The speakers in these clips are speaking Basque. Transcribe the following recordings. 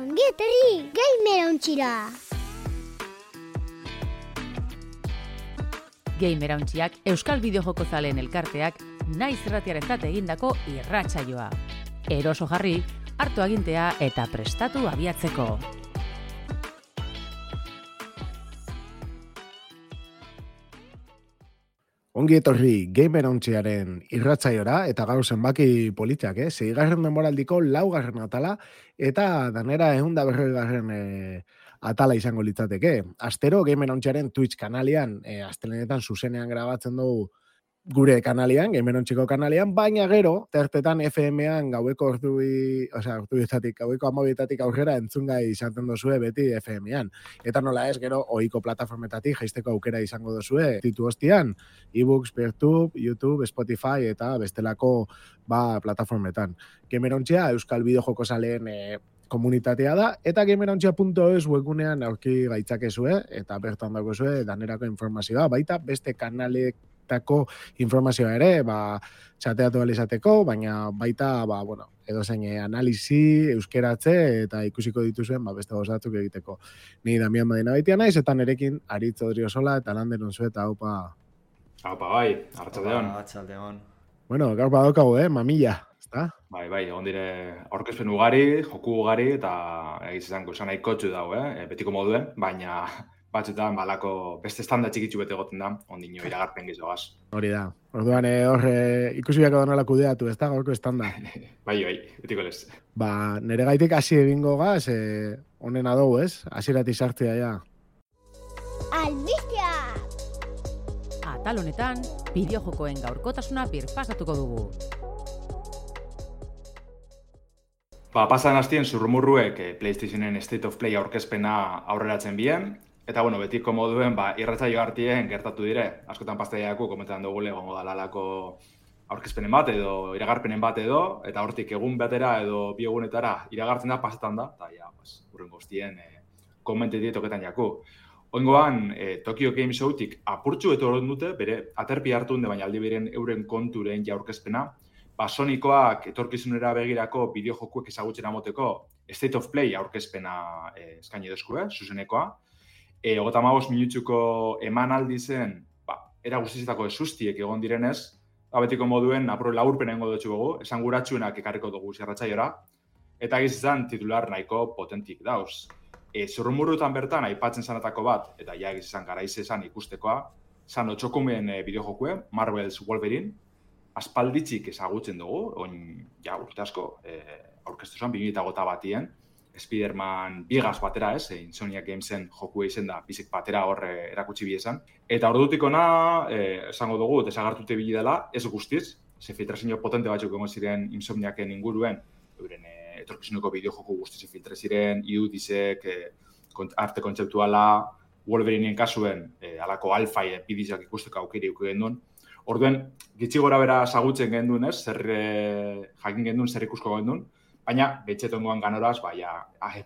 Ongi etorri Gamerauntxira. Gamerauntxiak Euskal Bideojoko zaleen elkarteak naiz irratiarentzat egindako irratsaioa. Eroso jarri, hartu agintea eta prestatu abiatzeko. Ongi etorri Gamerauntxiaren irratsaiora eta gaur zenbaki politak, 6. denboraldiko 4. atala eta danera 140. Atala izango litzateke. Astero Gamerauntxiaren Twitch kanalian, astelenetan zuzenean grabatzen dugu gure kanalian, Gamerauntxiko kanalian, baina gero, tertetan FM-an gaueko gaueko 12 aurrera entzungai izaten dozue beti FM-an. Eta nola ez, gero, ohiko plataformetatik jaisteko aukera izango dozue, titu hostian, ebooks, Peertube, YouTube, Spotify eta bestelako plataformetan. Gamerauntxia, Euskal Bideojoko zaleen komunitatea da, eta gamerauntxia.es webgunean aurki gaitzakezue, eta bertan dagoezue danerako informazioa, baita beste kanalektako informazioa ere, txateatu alizateko, baina baita, edozein analisi, euskeratze, eta ikusiko dituzuen, beste gozatzuk egiteko. Ni Damian Madina baitia naiz, eta nerekin Aritz Odriozola, eta Lander Unzu, eta haupa. Haupa, bai, arratsaldeon. Arratsaldeon. Bueno, gaur badaukagu, mamilla. Bai, egon dire aurkezpen ugari, joku ugari, eta egizango esan nahi kotxu dago, betiko moduen, baina batzutan balako beste estanda txikitzu bete goten da, ondino iragarpen gizoaz. Hori da. Orduan ikusi biako donala kudeatu, ez da, gaurko estanda. Bai, betiko lez. Nere gaitik hasi egingo gaz, honen adogu, ez? Hasierati sartzea ja. Albistea! Atal honetan, bideojokoen gaurkotasuna birpasatuko dugu. Pasan hastien zurrumurruek PlayStationen State of Play aurkezpena aurreratzen bien, eta betiko moduen irratsaio hartien gertatu dire. Askotan pastaiako komentan dugu egongo dalalako aurkezpenen bat edo iragarpenen bat edo, eta hortik egun batera edo bi egunetara iragartzen da, pasetan da, eta urrengo guztien komentetik toketan jaku. Oingoan, Tokyo Game Showtik apurtxu eto horren dute, bere aterpi hartu baina aldi beren euren konturen aurkezpena, Sonikoak etorkizunera begirako bideojokuek ezagutzen amoteko State of Play aurkezpena eskaini dozku, zuzenekoa. 35 minutzuko emanaldi zen, era guztizetako esustiek egon direnez, betiko moduen laburpena egingo dutxu gogu, esan guratxuenak ekarriko dugu zerratxaiora, eta egizizan titular nahiko potentik dauz. Zurrumurrutan bertan aipatzen zanatako bat, eta egizizan garaize zan ikustekoa, zan otxokumen bideojokue, Marvel's Wolverine, aspalditzik ezagutzen dugu, urte asko, aurkeztu zuen, 2008 batien, Spider-Man bigaz batera, Insomniac Gamesen joku izen da, bizik batera horre erakutsi biezan. Eta ordutik ona, esango dugu, desagartute bili dela, ez guztiz, ze filtrazio potente batzuk egon ziren Insomniacen inguruen, euren etorkizuneko bideojoku guztiz filtre ziren, irudizek, arte kontzeptuala, Wolverineen kasuen, alako alfa bidizak ikusteko aukeri uken duen. Orduen, gitxi gora bera sagutzen gendun, jakin gendun, zer ikusko gendun, baina betxetongoan ganoraz,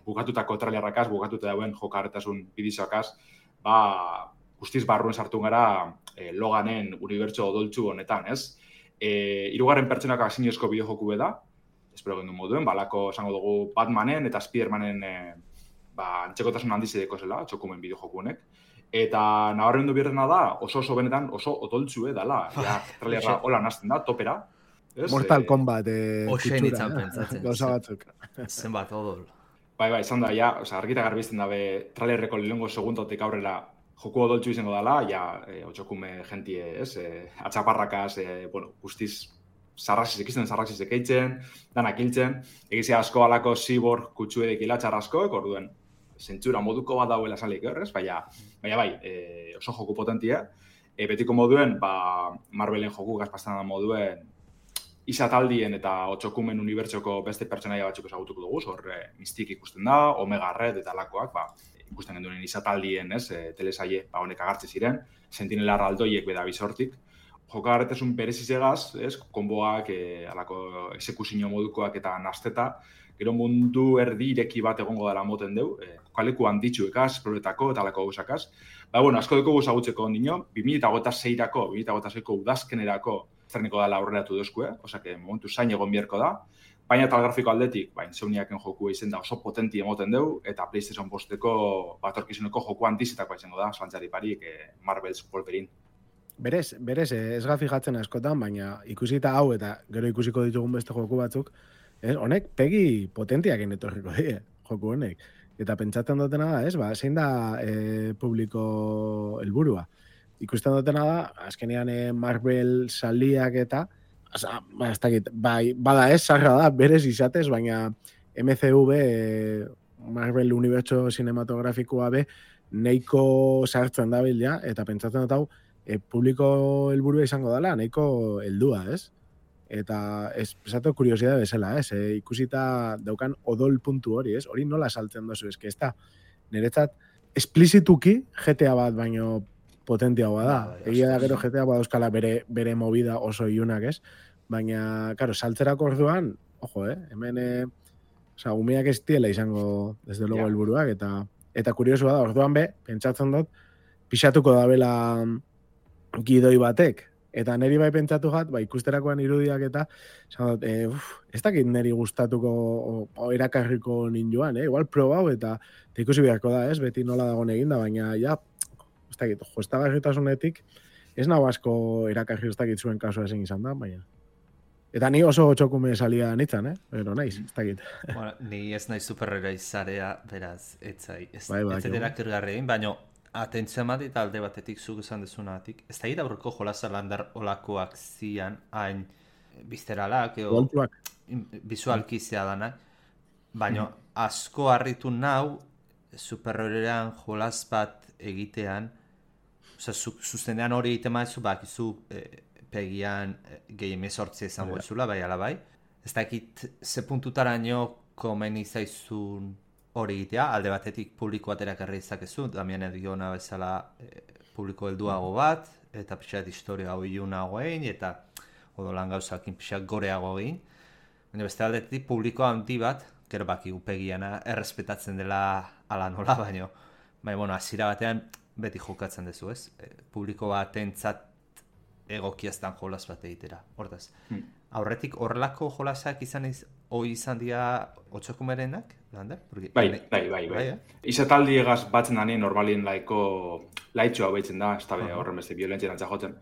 bukatutako trailerrakaz, bukatuta dauen jokarretasun bidizoakaz, guztiz barruen sartu gara Loganen unibertso odoltsu honetan, ez? 3. pertsonak asinezko bideojoku da, espero gendun moduen, balako esango dugu Batmanen eta Spidermanen antzekotasun handiz edeko zela, txokumen bideojoku honek. Eta nabarmendu birrena da, oso benetan, oso odoltzu dala. Trailerra hola nazten da, topera. Mortal Kombat Oxen kutsura, itzan pentsatzen. Gauza batzuk. Zenbat odol. Bai, izan da, argita garbizten dabe trailerreko lehengo segundotik aurrera joku odoltzu izango dala, otxokume jentie, atxaparrakaz, guztiz sarraxizek eitzen, danak hiltzen, egizia asko alako cyborg kutsuedek hilatxar askoek, orduen, zentzura moduko bat dauela salik horrez, baina oso joku potentia. Betiko moduen, Marvelen joku gazpastan da moduen, izataldien eta otxokumen unibertsoko beste pertsonaia batzuk ezagutuko dugu, horre Mystique ikusten da, Omega Red eta lakoak, ikusten genduen izataldien, telesaie, honek agartze ziren, Sentinela aldoiek beda bizortik. Jokagarretasun berezizegaz, konboak, alako exekuzio modukoak eta nasteta, gero mundu erdi ireki bat egongo dela moten deu, kokaleku handitxuekaz, proletako eta alako gauzakaz. Asko dugu guzagutzeko ondino, 2026-ako, 2026-ko udazkenerako zerniko dela aurreratu dozkue, osake momentu zain egon biherko da. Baina tal grafiko aldetik, Insomniaken joku izen da oso potenti emoten deu, eta PlayStation 5-eko batorkizuneko joku antizitakoa izango da, zantzari parik, Marvel's Wolverine. Berez, ez ga fijatzen askotan, baina ikusita hau eta gero ikusiko ditugun beste joku batzuk, honek pegi potentiak etorriko die, joku honek. Eta pentsatzen dutena da, zein da publiko helburua. Ikusten dutena da, azkenean Marvel saliak eta, ez dakit, bada sarra da, berez izatez, baina MCV, Marvel Universo Cinematografikoa be, neiko sartzen da ja, eta pentsatzen dut hau, publiko helburua izango dela, neiko heldua, ez? Eta esatu kuriosidade bezala, ikusita daukan odol puntu hori, ez? Hori nola saltzen dozu, ez da, niretzat, esplizituki GTA bat baino potentiagoa da. Egia da gero GTA bat euskala bere movida oso iunak, ez? Baina, karo, saltzerako orduan, ojo, hemen, umeak ez diela izango, desde luego, helburuak, eta kuriosua da, orduan pentsatzen dut, pixatuko dabela gidoi batek, eta neri bai pentsatu jat, ikusterakoan irudiak eta, ez dakit neri gustatuko o erakarriko ninduan, igual probau eta ikusi beharko da, ez, beti nola dagoen eginda, baina, ez dakit, joestagarritasunetik, ez nago asko erakarri ez dakit zuen kasua ezin izan da, baina. Eta ni oso txokume salia nitzan, pero naiz, ez dakit. Bueno, ni ez nahi superheroi zarea, beraz, etzai, ez erakargarri egin, baina atentzia mati eta alde batetik zuk esan dezunatik. Ez da aurreko jolasa landar olakoak zian, hain bizteralak, bizualki zeadanak, baina asko harritu nau superheroian jolas bat egitean, zuzenean hori egiten maizu, bakizu pegian gehi emezortzia izan boizula, bai ala bai. Ez dakit ze puntutaraino komeni zaizun hori egitea, alde batetik publiko bat erakarri izakezu, Damian Ediona bezala publiko helduago bat, eta pixat historia hau iunago egin, eta odolan gauzakin pixat goreago egin. Baina beste aldetik publiko handi bat, gero baki upegiana errespetatzen dela ala nola, baina hasiera batean beti jokatzen dezu, ez? Publiko batentzat egokiaztan jolas bat egitera, hortaz. Aurretik horrelako jolasak izan dira otxokumerenak, Lander? Bai. Izataldi egaz batzen danien normalien laitxoa behitzen da, ez da horren beste violentzia nantza jotzen.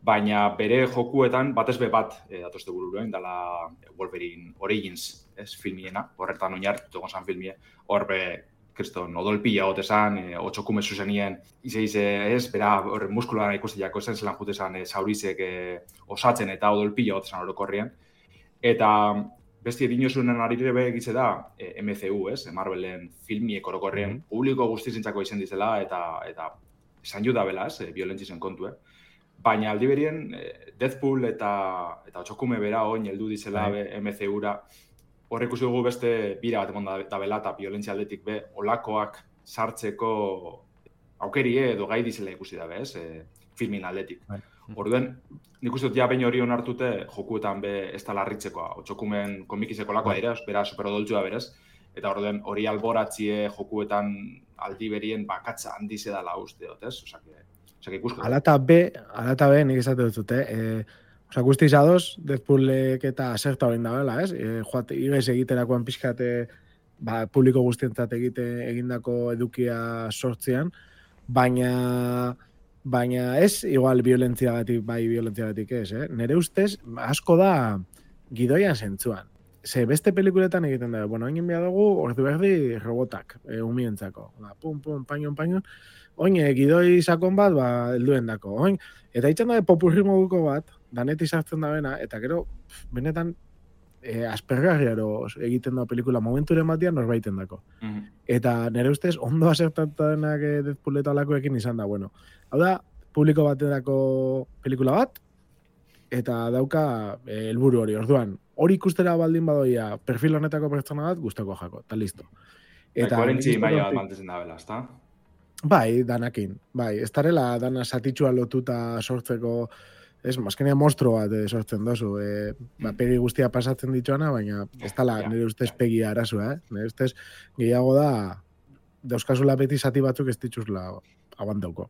Baina bere jokuetan batez bat datozte bururuen, dala Wolverine Origins, ez filmiena, horretan oinartu gonzan filmie, horbe kriston odolpila gotezan, otxokume zuzenien, ez, bera muskulara ikustiako zen zelan jutezan zaurizek osatzen eta odolpila gotezan orokorrien. Eta besti dinosunen arire egitze da MCU, ez, Marvelen filmiek orokorrien publiko guztizentzako izen dizela eta esan juda bela, ez, violentzisen kontu, Baina aldi berien, Deadpool eta otxokume bera oin heldu dizela MCU-ra, horrek ikusi dugu beste bira bat emon da bela eta violentzia aldetik olakoak sartzeko aukerie edo gai dizela ikusi dabe, ez, filmin aldetik. Orduen, nik uste dut behin hori onartute jokuetan ez da larritzekoa, otxokumen komikizeko lakoa dira, bera superodoltzua berez, eta orduen hori alboratzie jokuetan aldi berien bakatza handize dala uste dut, ez? Osake ikusko. Alata be, nik esate dut, guzti izadoz, Deadpoolek eta aserta horien da, ez? Igez egiterakoan pixkate publiko guztientzat egindako edukia sortzean, baina ez, igual violentziagatik ez, Nere ustez, asko da gidoian zentzuan. Ze beste pelikuletan egiten da, egin behar dugu, ordu berdi robotak, umientzako. Pum, pañon, oin, gidoi sakon bat, helduen dako. Eta hitzen da, popurri moduko bat, danetik sartzen da bena, eta gero, benetan, aspergarriaro egiten da pelikula momenturen batian norbaiten dako. Eta nire ustez, ondo asertatu denak Deadpool eta alakoekin izan da, hau da, publiko baterako pelikula bat, eta dauka helburu hori, orduan, hori ikustera baldin badoia perfil honetako pertsona bat, gustako jako, eta listo. Eta koherentzi maila bat mantezen da bela, ezta? Bai, danakin. Bai, ez darela dana satitxua lotuta sortzeko, ez, mazkenia monstro bat sortzen dozu. Pegi guztia pasatzen dituana, baina ez dala nire ustez pegia arazua, Nire ustez gehiago da, dauzkazula beti zati batzuk ez dituzula abandauko.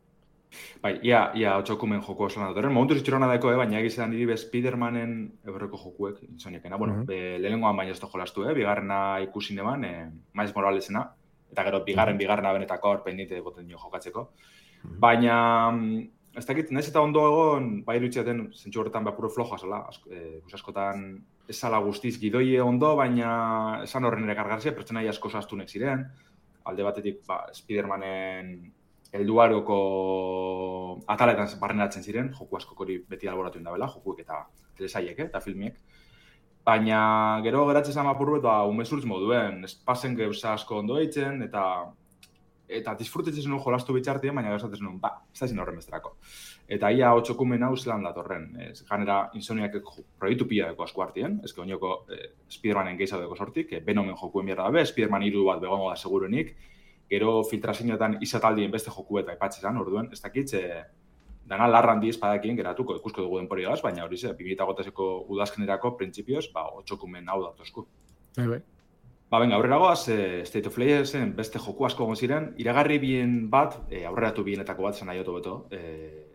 Bai, ia otxokumen joko oso lan datorren. Momentu zitxorona daiko, baina egizan niri Spidermanen eurreko jokuek, intzoniekena. Bueno, lehenengoan baina ez da jolastu, bigarrena ikusi neban, Miles Moralesena, eta gero bigarrena benetako hor pendite boten jo jokatzeko. Baina, ez dakit, nahiz eta ondo egon, bai irutxeaten zentsu horretan puro flojoa zela, askotan ez zala guztiz gidoie ondo, baina esan horren ere kargarzia, pertsenai asko zaztunek ziren, alde batetik Spidermanen helduaroko ataletan barrenatzen ziren, joku askok hori beti alboratu indabela, jokuek eta telesaiek eta filmiek. Baina gero geratzen zama apur bat, umezurtz moduen, espazen gauza asko ondo eitzen, eta disfrutetzen nuen jolastu bitxartien, baina gauzatzen nuen, ez da zin horren besterako. Eta ia otxokumen hau zelan datorren. Ganera, Insomniak proiektu pila deko asko hartien, ezke oinoko Spidermanen gehiago deko sortik, Venomen jokuen bierda dabe, Spiderman 3 bat begongo da segurunik, gero filtrazioetan izataldien beste joku eta aipatzezan, orduen, ez dakitz, dana larran di espadakien geratuko, ikusko dugu denporiagaz, baina hori ze, 2008ko udazkenerako printzipioz, otxokumen hau datozku. Venga, aurrera goaz, State of Playersen beste joku asko egon ziren, iragarri bien bat, aurreratu bienetako bat zen nahi beto,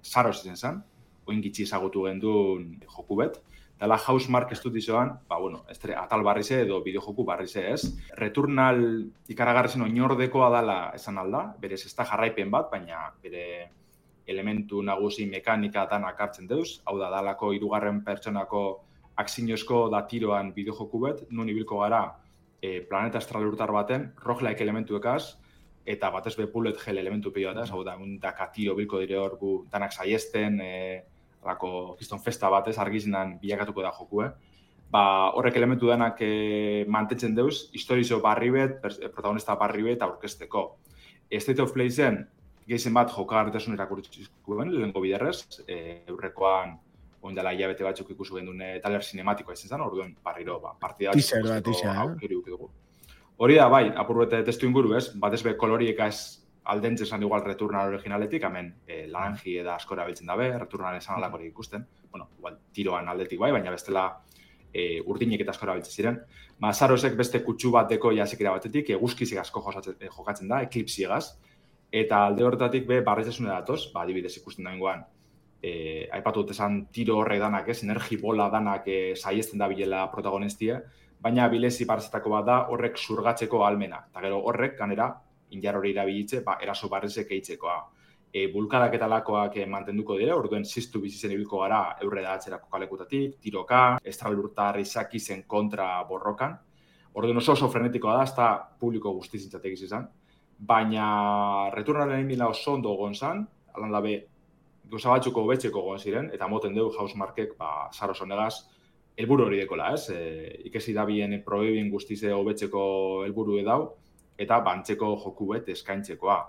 Saros izen zen, oin gitxi ezagutu gendun joku bet, dela Housemarque Studioan, atal barrize edo bideojoku barrize ez. Returnal ikaragarri zen oinordekoa dela esan alda, berez ez da jarraipen bat, baina bere elementu nagusi mekanika danak hartzen deuz, hau da dalako 3. pertsonako akzinozko da tiroan bideojoku bet, nun ibilko gara planeta astralurtar baten, roguelike elementuekaz, eta batez be bullet hell elementu pioataz, hau da, daka tiro bilko dire hor gu danak saiesten, alako kiston festa batez, argizinan bilakatuko da joku, horrek elementu denak mantentzen deuz, historizo barri bet, protagonista barri bet aurkezteko. State of Play zen, gehizen bat jokagarritasun erakurtzizkuen, lehenko biderrez, eurrekoan oindala hilabete batzuk ikusu gendun taler sinematikoa izan zen, orduan barriro, partida aukeri dugu. Hori da, bai, apurbete testu inguru, ez? Batez be kolorieka ez aldentzen zan igual Returnal originaletik, hemen laranji eda askora biltzen dabe, Returnal esan alakorik ikusten, igual tiroan aldetik bai, baina bestela urdinek eta askora biltzen ziren. Sarosek beste kutsu bateko jasekera batetik, eguzkizik asko jokatzen da, eklipsiegaz, eta alde horretatik barrizasune datoz, adibidez ikusten da ingoan, aipatu dut esan tiro horre danak, energi bola danak saiesten da bilela protagonistia, baina bilezi barretako bat da horrek zurgatzeko almena. Eta gero horrek, ganera, injar hori irabilitze, eraso barrizek eitzekoa. Bulkadak eta lakoak mantenduko dira, orduen ziztu bizitzen ibilko gara eurre da atzerako kalekutatik, tiroka, estralurtar izaki zen kontra borrokan. Orduen oso frenetikoa da, ez da publiko guztizintzatek izan. Baina Returnalen egin oso ondo egon zan, alan dabe, gauza batzuko hobetzeko egon ziren, eta moten dugu Housemarquek, Saros honegaz, helburu hori dekola, ez? Ikesi da bien proebin guztize hobetzeko helburu edau, eta bantzeko joku bet eskaintzekoa.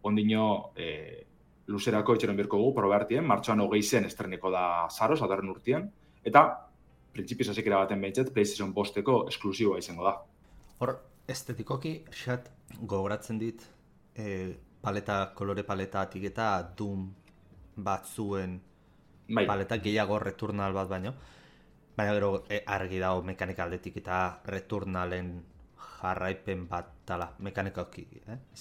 Ondino, luzerako itxeron birko gu, probeartien, martxoan 20 zen estreneko da Saros, adarren urtien, eta printzipioz azikera baten behintzet, PlayStation 5-eko esklusiboa izango da. Hor, estetikoki, xat, gogoratzen dit, kolore paletatik eta Doom batzuen paleta gehiago Returnal bat baino. Baina gero argi dago mekanika aldetik eta Returnalen jarraipen bat tala, mekanikoki,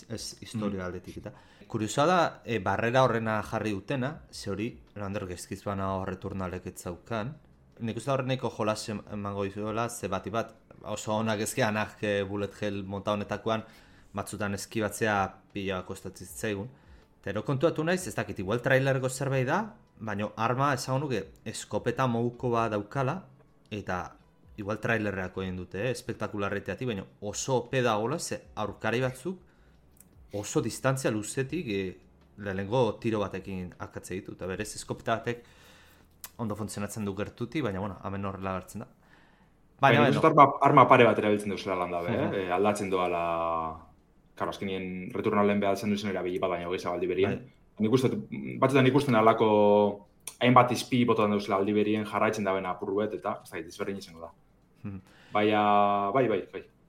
ez historia aldetik eta. Kuriosoa da, barrera horrena jarri dutena, ze hori, Lander gezkiz bana Returnalek ez zaukan. Nik uste horreneko jolas emango dizuela, ze bati bat, oso honak ezkeanak bullet hell monta honetakoan, batzutan eskibatzea pila kostatzen zaigun. Eta kontuatu naiz, ez dakit, igual trailergo zerbait da, baina arma esan nuke eskopeta moduko bat daukala, eta igual trailerreako egin dute, espektakularreteatik, baina oso ope dagoela, ze aurkari batzuk oso distantzia luzetik lehenengo tiro batekin akatze ditu, eta berez eskopeta batek ondo funtzionatzen du gertuti, baina hemen horrela gertzen da. Baina arma pare bat erabiltzen duzela lan dabe, aldatzen doala, karo, azkenien Returnalen behatzen duzen erabili bat, baina hogeiza aldi berien. Batzutan ikusten alako hainbat izpi botan duzela aldi berien jarraitzen dabena apurruet, eta ez da, izberdin izango da. Baina, bai,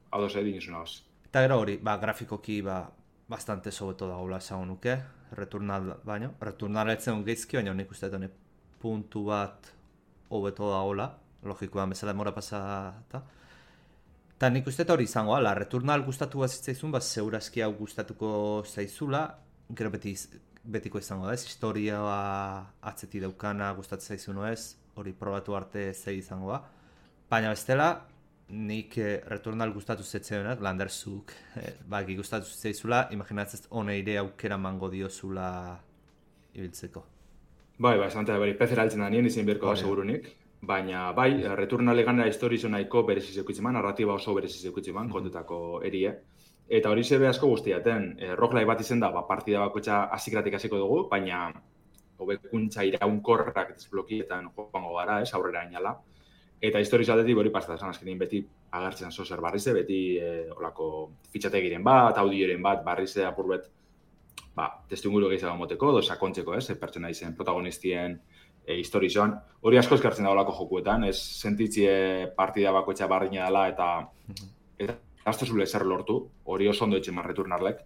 hau doz edin izuna hoz. Eta gero hori, grafikoki bastante sobeto dagoela esango nuke, Returnal etzen geizki, baina nik uste dut puntu bat hobeto dagoela, logikoan bezala demora pasata. Eta nik uste hori izango, Returnal gustatu bat zitzaizun, segurazki hau gustatuko zaizula, gero beti betiko izango da, ez? Historia atzeti daukana gustatzen zaizu ez, hori probatu arte zei izango da. Baina bestela, nik Returnal gustatu zetzeonak, Landerzuk baki gustatu zaizula, imaginatzez honeire aukera mango diozula ibiltzeko. Bai, esan beri pezera altzen da nien izin berko da segurunik, baina bai, Returnal eganera historizo nahiko bereziz eukitzeman, narratiba oso bereziz eukitzeman, kontetako erie. Eta hori zebe asko guztiaten, roguelike bat izen da, partida bakoitza hasikratik hasiko dugu, baina hobekuntza iraunkorrak desblokietan joango gara, aurrera inala. Eta historizo aldetik hori pasta, esan azkenin beti agertzen zozer barrize, beti olako fitxategiren bat, audioren bat, barrize apurbet, testuinguru gehiago moteko, edo sakontzeko, pertsona izen protagonistien historizoan. Hori asko eskartzen da olako jokuetan, ez sentitzie partida bakoitza barrina dela eta azte zule zer lortu, hori oso ondo etxeman Returnalek,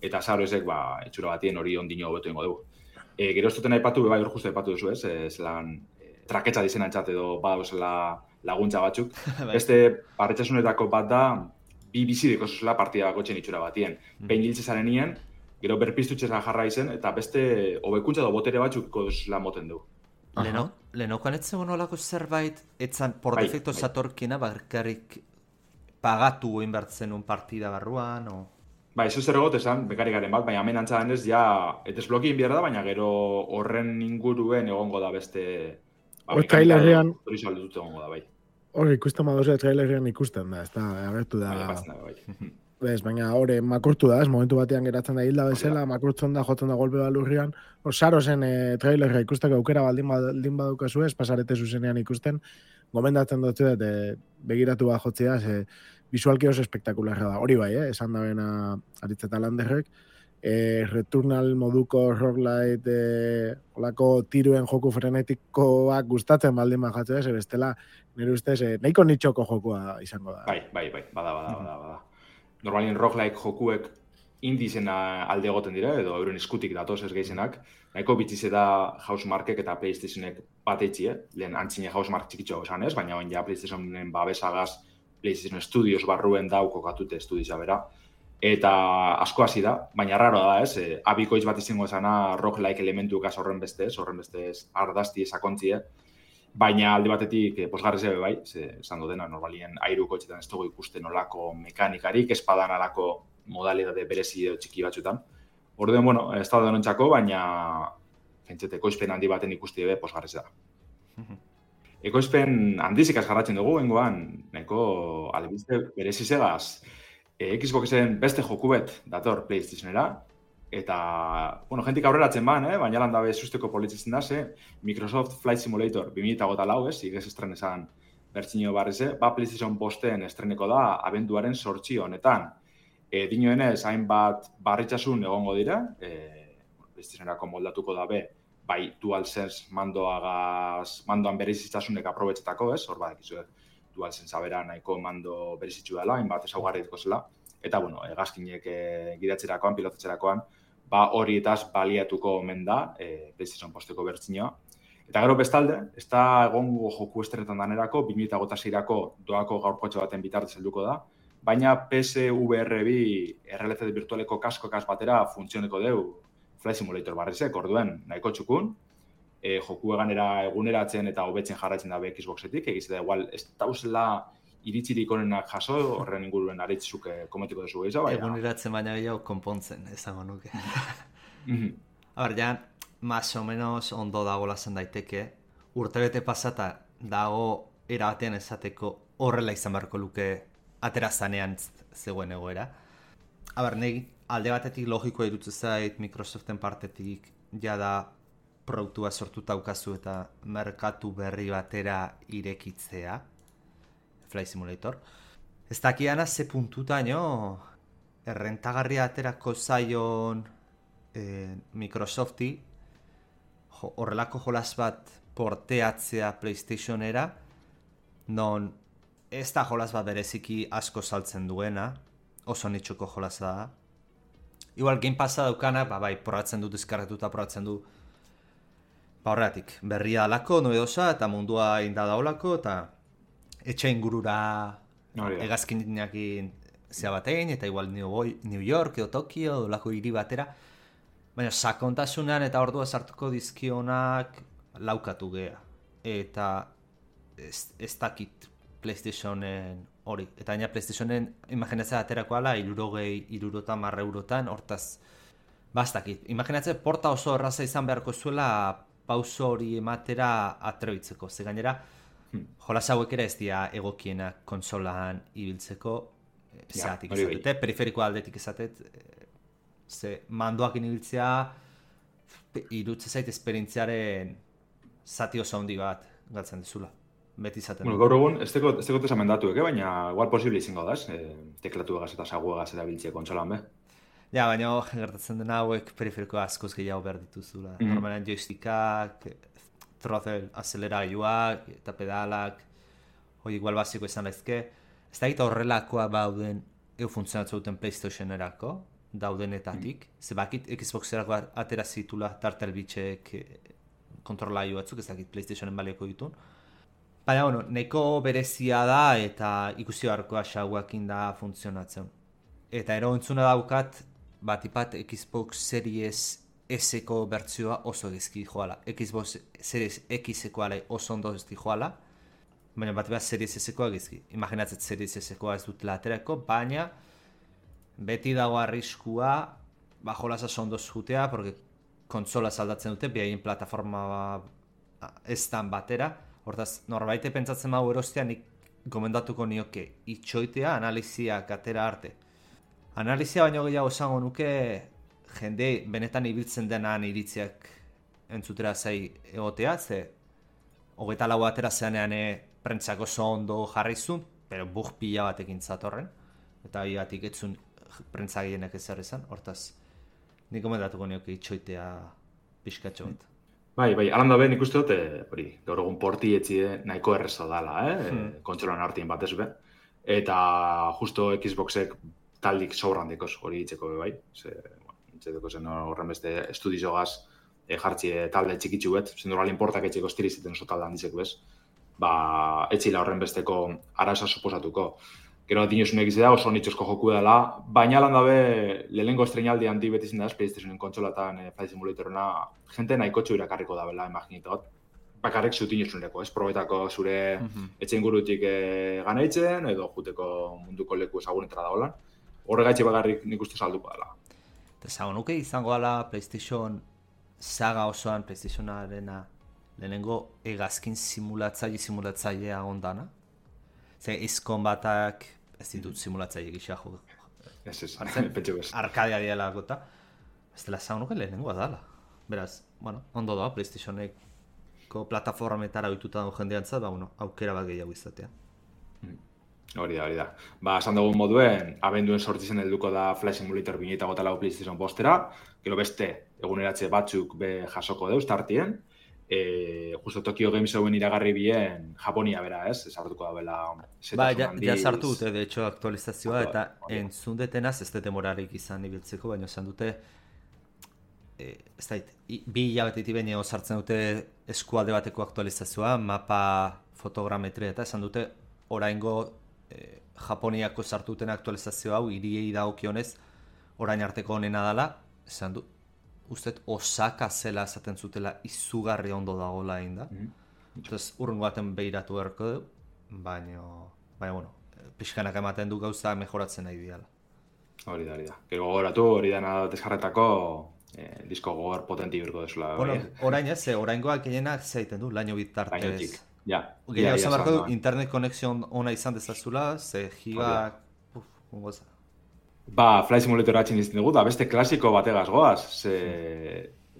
eta zaro ezek, itxura batien hori ondino hobetu ingo dugu. Gero ez duten aipatu, bai hor justu aipatu duzu, zelan traketza dizen antzat edo badauzela laguntza batzuk. Beste barretxasunetako bat da, bi bizideko zuzela partida bakotzen itxura batien. Behin hiltze zaren nien, gero berpiztutxera jarra izen, eta beste hobekuntza edo botere batzuk kozela moten du. Lehenokoan ez zegoen olako zerbait, etzan por defecto zatorkina, bakarrik pagatu inbertzen un partida barruan, o... Bai, ez zer egot esan, bekarikaren bat, baina hemen antza denez, ja, etesblokin behar da, baina gero horren inguruen egongo da beste... trailerrean... Hori saldutu egongo da, bai. Hori, ikusten badozu, trailerrean ikusten da, ez da, agertu da... Bez, baina hori, makurtu da, ez, momentu batean geratzen da hilda bezala, makurtzen da, jotzen da golpe balurrian. Saro zen trailerra ikusteko aukera baldin badukazu ez, pasarete zuzenean ikusten, gomendatzen dut begiratu bat jotzea, visualki oso espektakularra da. Hori bai, esan da bena Aritzeta Landerrek. Returnal moduko roguelite, olako tiruen joku frenetikoak gustatzen baldin bajatzea, bestela, nire ustez, nahiko nitxoko jokua izango da. Bai, bada. Normalien roguelike jokuek indizena alde egoten dira, edo euren eskutik datoz ez gehizenak. Nahiko bitzize da Housemarkek eta PlayStationek bat eitzie, lehen antzine Housemark txikitxo esan ez, baina ja PlayStationen babesagaz PlayStation Studios barruen dauko katute estudiza bera. Eta asko hasi da, baina raro da ez, abikoitz bat izango esana roguelike elementukaz horren bestez ardazti sakontzie, baina alde batetik posgarri zebe bai, esan dena normalien airuko etxetan ez dugu ikusten olako mekanikarik, espadan alako modalidade berezi edo txiki batzutan. Orduen, ez da denontzako, baina pentsete, ekoizpen handi baten ikusti ebe posgarri da. Ekoizpen handizik jarratzen dugu, hengoan, nahiko albizte berezi zegaz, Xboxen beste jokubet dator PlayStationera, eta, jentik aurreratzen baina landabe susteko politzen da, Microsoft Flight Simulator 2004, igez estren esan bertxinio barrize, PlayStation bosten estreneko da abenduaren 8 honetan. Dinoenez, hainbat barritxasun egongo dira, PlayStationerako moldatuko dabe, bai DualSense mandoan berezitzasunek aprobetxetako, hor badakizu, DualSense abera nahiko mando berezitzu dela, hainbat ezaugarritko zela, eta, hegazkinek gidatzerakoan, pilotatzerakoan, horietaz baliatuko omen da, PlayStation posteko bertzinoa. Eta gero bestalde, ez da egongo joku estrenetan danerako, 2006-ako doako gaurkotxe baten bitartez helduko da, baina PSVR2 errealitate virtualeko kaskokaz batera funtzioneko deu Flight Simulator barrizek, orduen nahiko txukun, joku eguneratzen eta hobetzen jarraitzen da Xboxetik, egiz da igual ez dauzela iritzirik onenak jaso, horren inguruen aritzuk komentiko duzu gehiago, baina... Eguneratzen baina gehiago konpontzen, esango nuke. Ja, más o menos ondo dago lasan daiteke, urtebete pasata dago erabatean esateko horrela izan beharko luke aterazanean zegoen egoera. Negi, alde batetik logikoa irutzen zait Microsoften partetik jada produktua sortuta daukazu eta merkatu berri batera irekitzea, Flight Simulator. Ez dakiana ze puntutaino errentagarria aterako zaion Microsofti horrelako jolas bat porteatzea PlayStationera, non ez da jolas bat bereziki asko saltzen duena, oso nitxuko jolasa da. Igual Game Passa daukana, bai, probatzen du, deskarretuta probatzen du, horregatik, berria alako, noedosa, eta mundua indada olako, eta etxe ingurura egazkinakin zea batein, eta igual New York edo Tokio, olako hiri batera, Baina sakontasunean eta ordua sartuko dizkionak laukatu gea. Eta ez dakit PlayStationen hori. Eta baina PlayStationen imaginatzea aterako ala 60 eurotan, hortaz bastakit. Imaginatzea porta oso erraza izan beharko zuela pauso hori ematera atrebitzeko. Ze gainera, jolas hauek ere ez dira egokienak konsolaan ibiltzeko zeatik izatete, periferiko aldetik izatet, ze mandoak inibiltzea irutze zait esperientziaren zati oso handi bat galtzen dizula. Beti izaten. Bueno, gaur egun, ez teko tesamendatuek, baina igual posible izango da, teklatu egaz eta sagu egaz erabiltzea kontsolan, be? Ja, baina gertatzen dena hauek periferiko askoz gehiago behar dituzula. Normalean joystickak, throttle azeleragailuak eta pedalak, hori igual basiko izan daizke. Ez da gita horrelakoa bauden funtzionatzen duten PlayStationerako, daudenetatik. Zebakit Xboxerako atera zitula tartelbitxek kontrolailu batzuk, ez dakit PlayStationen balioko ditun. Baina, bueno, neko berezia da eta ikusi beharkoa xauakin da funtzionatzen. Eta ero entzuna daukat, batipat Xbox Series S-eko bertzioa oso gezki joala. Xbox Series X-eko ale oso ondo ezti joala, baina batipat Series S-ekoa gezki. Imaginatzet Series S-ekoa ez dutela aterako, baina beti dago arriskua jolasa ondo zutea, porque kontsola aldatzen dute, behaien plataforma estan batera. Hortaz, norbaite pentsatzen mahu erostea, nik gomendatuko nioke itxoitea analiziak atera arte. Analizia baino gehiago esango nuke jende benetan ibiltzen denan iritziak entzutera zai egotea, ze 24 atera zeanean prentsak oso ondo jarrizun, pero bug pila batekin zatorren, eta hiatik etzun prentsa gehienak ezer izan, hortaz, nik gomendatuko nioke itxoitea pixkatxo bat. Bai, alanda ben ikuste dut, hori, gaur egun porti etxie nahiko erreza dala, kontsolan hartien batez be. Eta justo Xboxek taldik sobran dekoz hori itzeko be bai. Itzeko zen horren beste estudizogaz jartzie talde txikitzu bet, zenduralin portak etxeko estirizeten oso talde handizek bez. Etxila horren besteko araza suposatuko. Gero dinosunek izan da, oso nitxosko joku dela, baina lan dabe lehenengo estrenaldi handi beti zen da, PlayStationen kontsolatan Flight Simulatorena, jente nahiko txu irakarriko da bela, imaginitot. Bakarrik zut inosuneko, probetako zure etxe ingurutik ganaitzen, edo juteko munduko leku ezagunetara da holan. Horregaitxe bakarrik nik uste salduko dela. Eta zagonuke izango ala PlayStation saga osoan, PlayStationarena lehenengo egazkin simulatzailea ondana? Ze izkon batak ez ditut simulatzaile gisa jo. Ez, pentsu bez. Arkadia dialako eta ez dela zagonuke lehenengoa dala. Beraz, bueno, ondo da, PlayStationeko plataformetara oituta dago jendeantzat, aukera bat gehiago izatea. Hori da. Esan dugun moduen, abenduen sortzizen helduko da Flight Simulator 2004 PlayStation postera, gero beste eguneratze batzuk be jasoko deuz tartien, justo Tokyo Game Showen iragarri bien Japonia bera, ez? Sartuko da bela ja sartu dute, de hecho, aktualizazioa, eta entzun detenaz ez dute morarik izan ibiltzeko, baina esan dute ez dait, 2 hilabetetik baino sartzen dute eskualde bateko aktualizazioa, mapa fotogrametria, eta esan dute oraingo Japoniako sartu duten aktualizazio hau hiriei dagokionez orain arteko honena dela, esan du ustet Osaka zela esaten zutela izugarri ondo dagoela egin da. Entonces, urrengo baten behiratu erko du, baina, bueno, pixkanak ematen du gauza mejoratzen nahi diala. Hori da. Gero gogoratu, hori dana deskarretako disko gogor potenti birko desula. Bueno, orain ez, oraingoak gehienak zeiten du, laino bitartez. Gehiago esan barko du, internet konexion ona izan dezazula, ze gigak, ungoza. Flight Simulator atxin izten dugu, da beste klasiko bategaz goaz,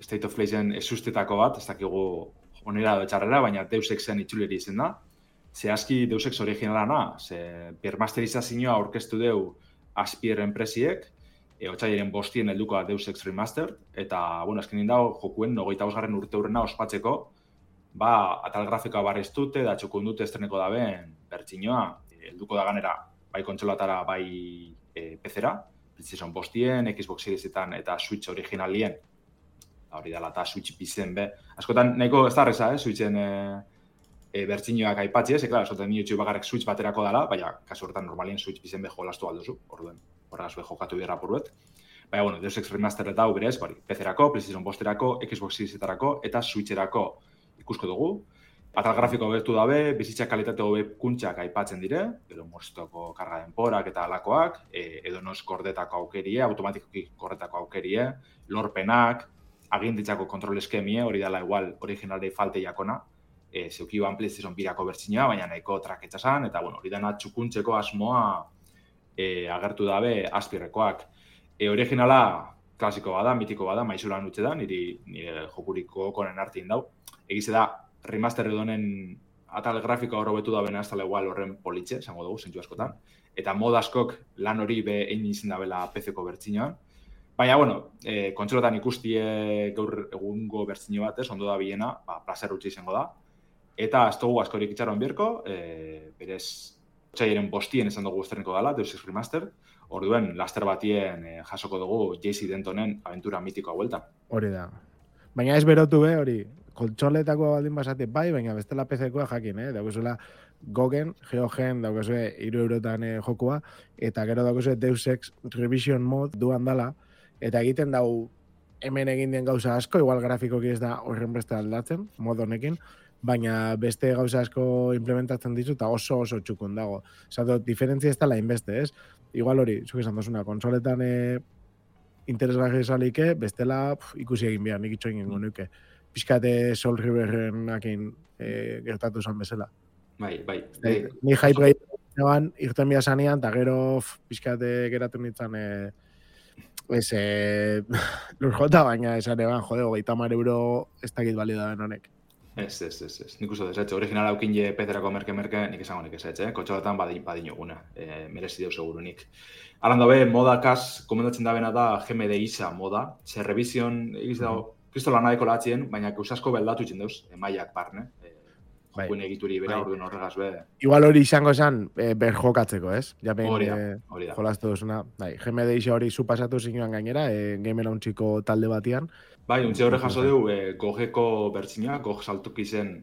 State of Playzen esustetako bat, ez dakigu onera edo txarrera, baina Deus Exen itxuleri izen da. Ze aski Deus Ex originalana, ze bermasterizazioa aurkeztu deu Aspier enpresiek, otsailaren 5 helduko da Deus Ex Remastered, eta, bueno, azkenin dago jokuen 25. urte hurrena ospatzeko, atal grafikoa barriztute, da txokun dute estreneko da ben, bertxinoa, helduko da ganera, bai kontsolatara, bai PC-ra, PlayStation 5, Xbox Seriesetan eta Switch originalien, hori dela eta Switch bizen be. Askotan, nahiko ez da arreza, Switchen bertxinoak aipatzi, klaro, askotan minutxu bakarrik Switch baterako dela, baina, kasu horretan normalien Switch bizen be jolastu alduzu, orduen, horregaz be jokatu bierra porruet. Baina, bueno, Deus Ex Remaster eta hau berez, PC-erako, PlayStation 5-erako, Xbox Series-etarako eta Switch-erako ikusko dugu. Atal grafiko hobetu dabe, bizitza kalitate hobekuntxak aipatzen dire, edo moztoko karga denporak eta alakoak, edo nos kordetako aukerie, automatikoki kordetako aukerie, lorpenak, aginditzako kontrol eskemie, hori dela igual originalei falte jakona, zeukiban PlayStation 2-ako bertsinua, baina nahiko traketsa zan, eta bueno, hori dena txukuntzeko asmoa agertu dabe azpirrekoak. Originala klasiko bada, mitiko bada, maizulan utxe da, nire jokuriko konen artin dau. Egize da, remaster edonen atal grafikoa horrobetu da bena ez tala igual horren politxe, zango dugu, zentzu askotan. Eta mod askok lan hori egin izin dabela PC-ko bertsinoan. Baina, bueno, kontsolotan ikustie gaur egungo bertsino bat, ondo da bilena, plazer utxe izango da. Eta ez dugu askorik itxaron bierko, berez, otxaiaren bostien esan dugu guzterniko dela, Deus Ex Remaster. Orduen, laster batien jasoko dugu JC Dentonen aventura mitikoa huelta. Hori da. Baina ez berotu hori, kontsoletako baldin basate bai, baina bestela PC-koa jakin, daukazula Gogen, Geogen, daukazue 3 eurotan jokua, eta gero daukazue Deus Ex Revision Mod duan dala, eta egiten dau hemen egin den gauza asko, igual grafikoki ez da horren beste aldatzen, mod honekin, baina beste gauza asko implementatzen ditu, eta oso txukun dago. Zato, diferentzia ez dela inbeste, ez? Igual hori, zuk esan dozuna, konsoletan interesgarri esalike, bestela ikusi egin behar, nik itxo egin nuke. Piskate Soul Riverrenakin gertatu zan bezala. Bai. Ni hype gehiagoan irten behar zanean, eta gero piskate geratu nintzen lurjota, baina esan eban, jode, 30 euro ez dakit balio da ben honek. Ez. Nik uste desetxe. Original haukin je PC-erako merke, nik esango nik esetxe. Kontxoletan badinoguna. Merezi deu seguru nik. Alan dabe, modakaz, komendatzen dabena da GMD ISA moda. Zer revision, egiz dago, kristola nahiko latzien, baina kausasko beldatu itzen deuz, maiak barne. Jokuen egituri bera orduen horregaz be. Igual hori izango esan berjokatzeko, ez? Hori da. Jolastu duzuna. GMD ISA hori zu pasatu zinuan gainera, Game Launchiko talde batian. Bai, untxe horre jaso deu, Gogeko bertsinoa, Gog saltuki zen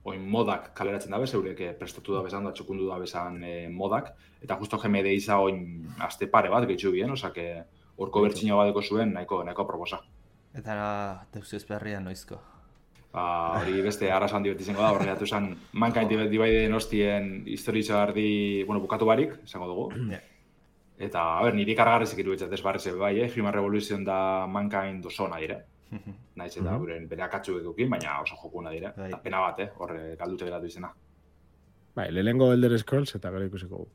oin modak kaleratzen dabe, zeurek prestatu da bezan, da txukundu da bezan modak, eta justo GMD ISA oin aste pare bat gehitzu bien, osake horko bertsinoa badeko zuen nahiko proposa. Eta Deus Ex berria noizko? Hori beste arrasan dibet izango da, horre datu zen Mankind Divideden hostien historitza ardi, bukatu barik, izango dugu. Eta, niri kargarrezik iruditzat ez barreze bai, Human Revolution da Mankind oso nahi dire. Naiz eta bere akatsu edukin, baina oso jokuna dire. Eta pena bat, horre galdute geratu izena. Bai, lehengo Elder Scrolls eta gero ikusiko gu.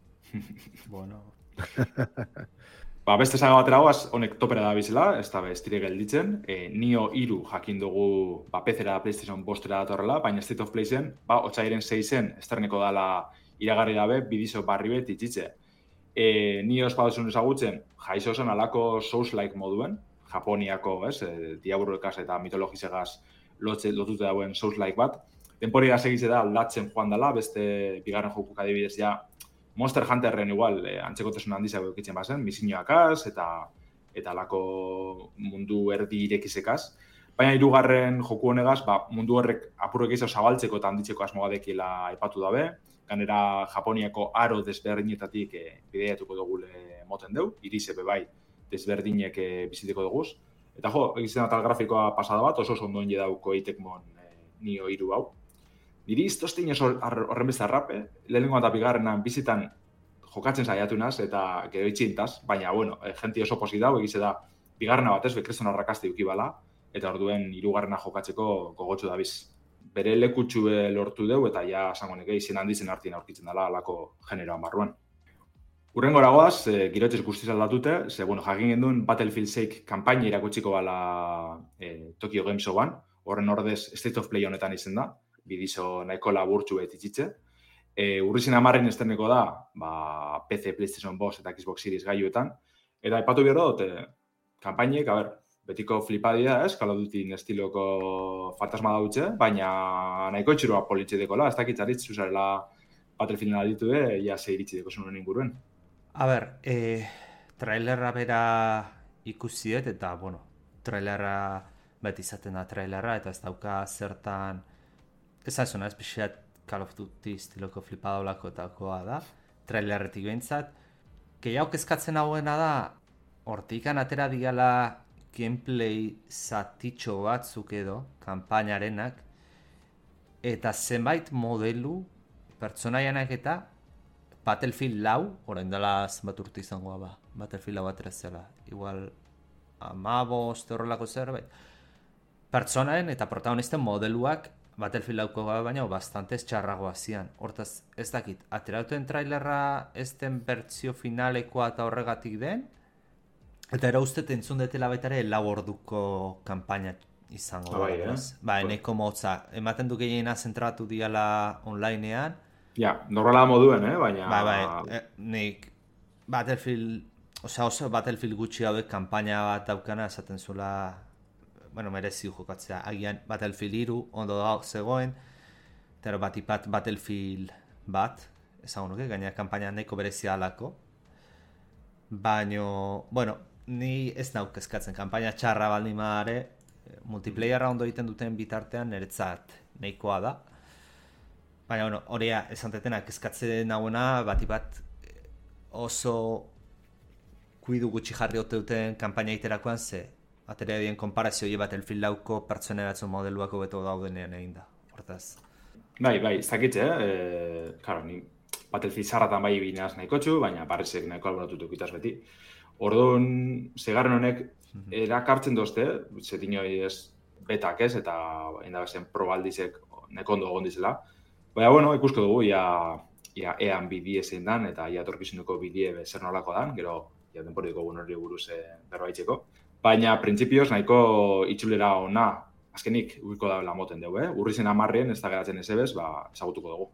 Bueno. Beste saga batera hoaz, honek topera da bizela, ez da estire gelditzen. Nio 3 jakin dugu PC-era PlayStation 5-era datorrela, baina State of Play-zen, otsaiaren 6-en esterneko dala iragarri dabe, bidizo barri bet itxitze. Nio espadosun ezagutzen, jaizo zen alako Souls-like moduen, Japoniako, diaburrekaz eta mitologizegaz lotute dauen Souls-like bat. Denpori segitze da aldatzen joan dela, beste bigarren jokuk adibidez ja Monster Hunterren igual antzekotasun handizago eukitzen bazen, misioakaz eta alako mundu erdi irekizekaz. Baina 3. joku honegaz, mundu horrek apurrek izau zabaltzeko eta handitzeko asmogadekila aipatu dabe. Ganera Japoniako aro desberdinetatik bideiatuko dugule moten deu, irizebe bai desberdinek biziteko duguz. Eta egizten atal grafikoa pasada bat, oso ondoen jedauko eitekmon Nio 3 hau. Niri iztoztein horren beste arrape, lehenengo eta bigarrenan bizitan jokatzen saiatu naz eta gero itxintaz, baina, jenti oso posi dau, egize da, bigarrena batez, bekreston arrakaste ukibala, eta orduen 3. jokatzeko gogotxu dabiz. Bere lekutxu lortu deu, eta ja, esango izen handizen artien aurkitzen dela alako generoan barruan. Urrengo goaz, girotxez guztiz aldatute, jakin genduen Battlefield 6 kanpaina irakutsiko bala Tokyo Game Showan, horren ordez State of Play honetan izen da, bidizo nahiko laburtxu itxitze. Urrizin 10 esterneko da, PC, PlayStation 5 eta Xbox Series gaiuetan, eta aipatu behar dut, kanpainek, betiko flipadia, Call of Duty estiloko fantasma dautxe, baina nahiko itxurua politxe dekola, ez dakitzaritz zuzarela Battlefield aditu ja ze iritsi deko zuen inguruen. Trailerra bera ikusiet, eta, trailerra beti izaten da trailerra, eta ez dauka zertan, esan zuen, ez pixeat Call of Duty estiloko flipadolako etakoa da, trailerretik behintzat. Gehiago kezkatzen hauena da, hortikan atera diala gameplay zatitxo batzuk edo, kanpainarenak, eta zenbait modelu, pertsonaianak eta Battlefield 4, orain dela zenbat urte izangoa ba, Battlefield 4 atera zela, igual 15 horrelako zerbait. Pertsonaen eta protagonisten modeluak Battlefield 4 baina bastante txarragoa zian. Hortaz, ez dakit, aterauten trailerra ez den bertsio finalekoa eta horregatik den, eta ero uste entzun detela baita ere 4 orduko kanpaina izango. Eneko motza, ematen du gehiena zentratu diala onlinean. Ja, normala moduen, baina... Nik Battlefield, oso Battlefield gutxi hauek kanpaina bat daukana esaten zuela, merezi jokatzea. Agian Battlefield 3 ondo da zegoen, eta batipat Battlefield bat, ezagun nuke, gaina kanpaina nahiko berezia alako. Baina, ni ez nauk eskatzen, kanpaina txarra baldin madare, multiplayerra ondo egiten duten bitartean niretzat nahikoa da. Baina, horia esantetenak eskatzen nagoena, batipat oso kuidu gutxi jarri ote duten kanpaina iterakoan ze aterea dien konparazioi Battlefield 4ko pertsoneratzen modeluako beto daudenean egin da. Hortaz. Bai, ez dakit, Claro, ni Battlefield zarratan bai binaz nahiko txu, baina parezek nahiko alboratutuk itaz beti. Orduan, zegarren honek erakartzen dozte, zetinoi ez betak ez, eta indabezen probaldizek nahiko ondo egon dizela. Baina, ikusko dugu, ean bidie zein dan, eta torkizunuko bidie zer nolako dan, gero denporiko hori buruz berbaitzeko. Baina, printzipioz, nahiko itxulera ona, azkenik uiko da lamoten dugu, Urri zen 10 ez da geratzen ez ebez, ezagutuko dugu.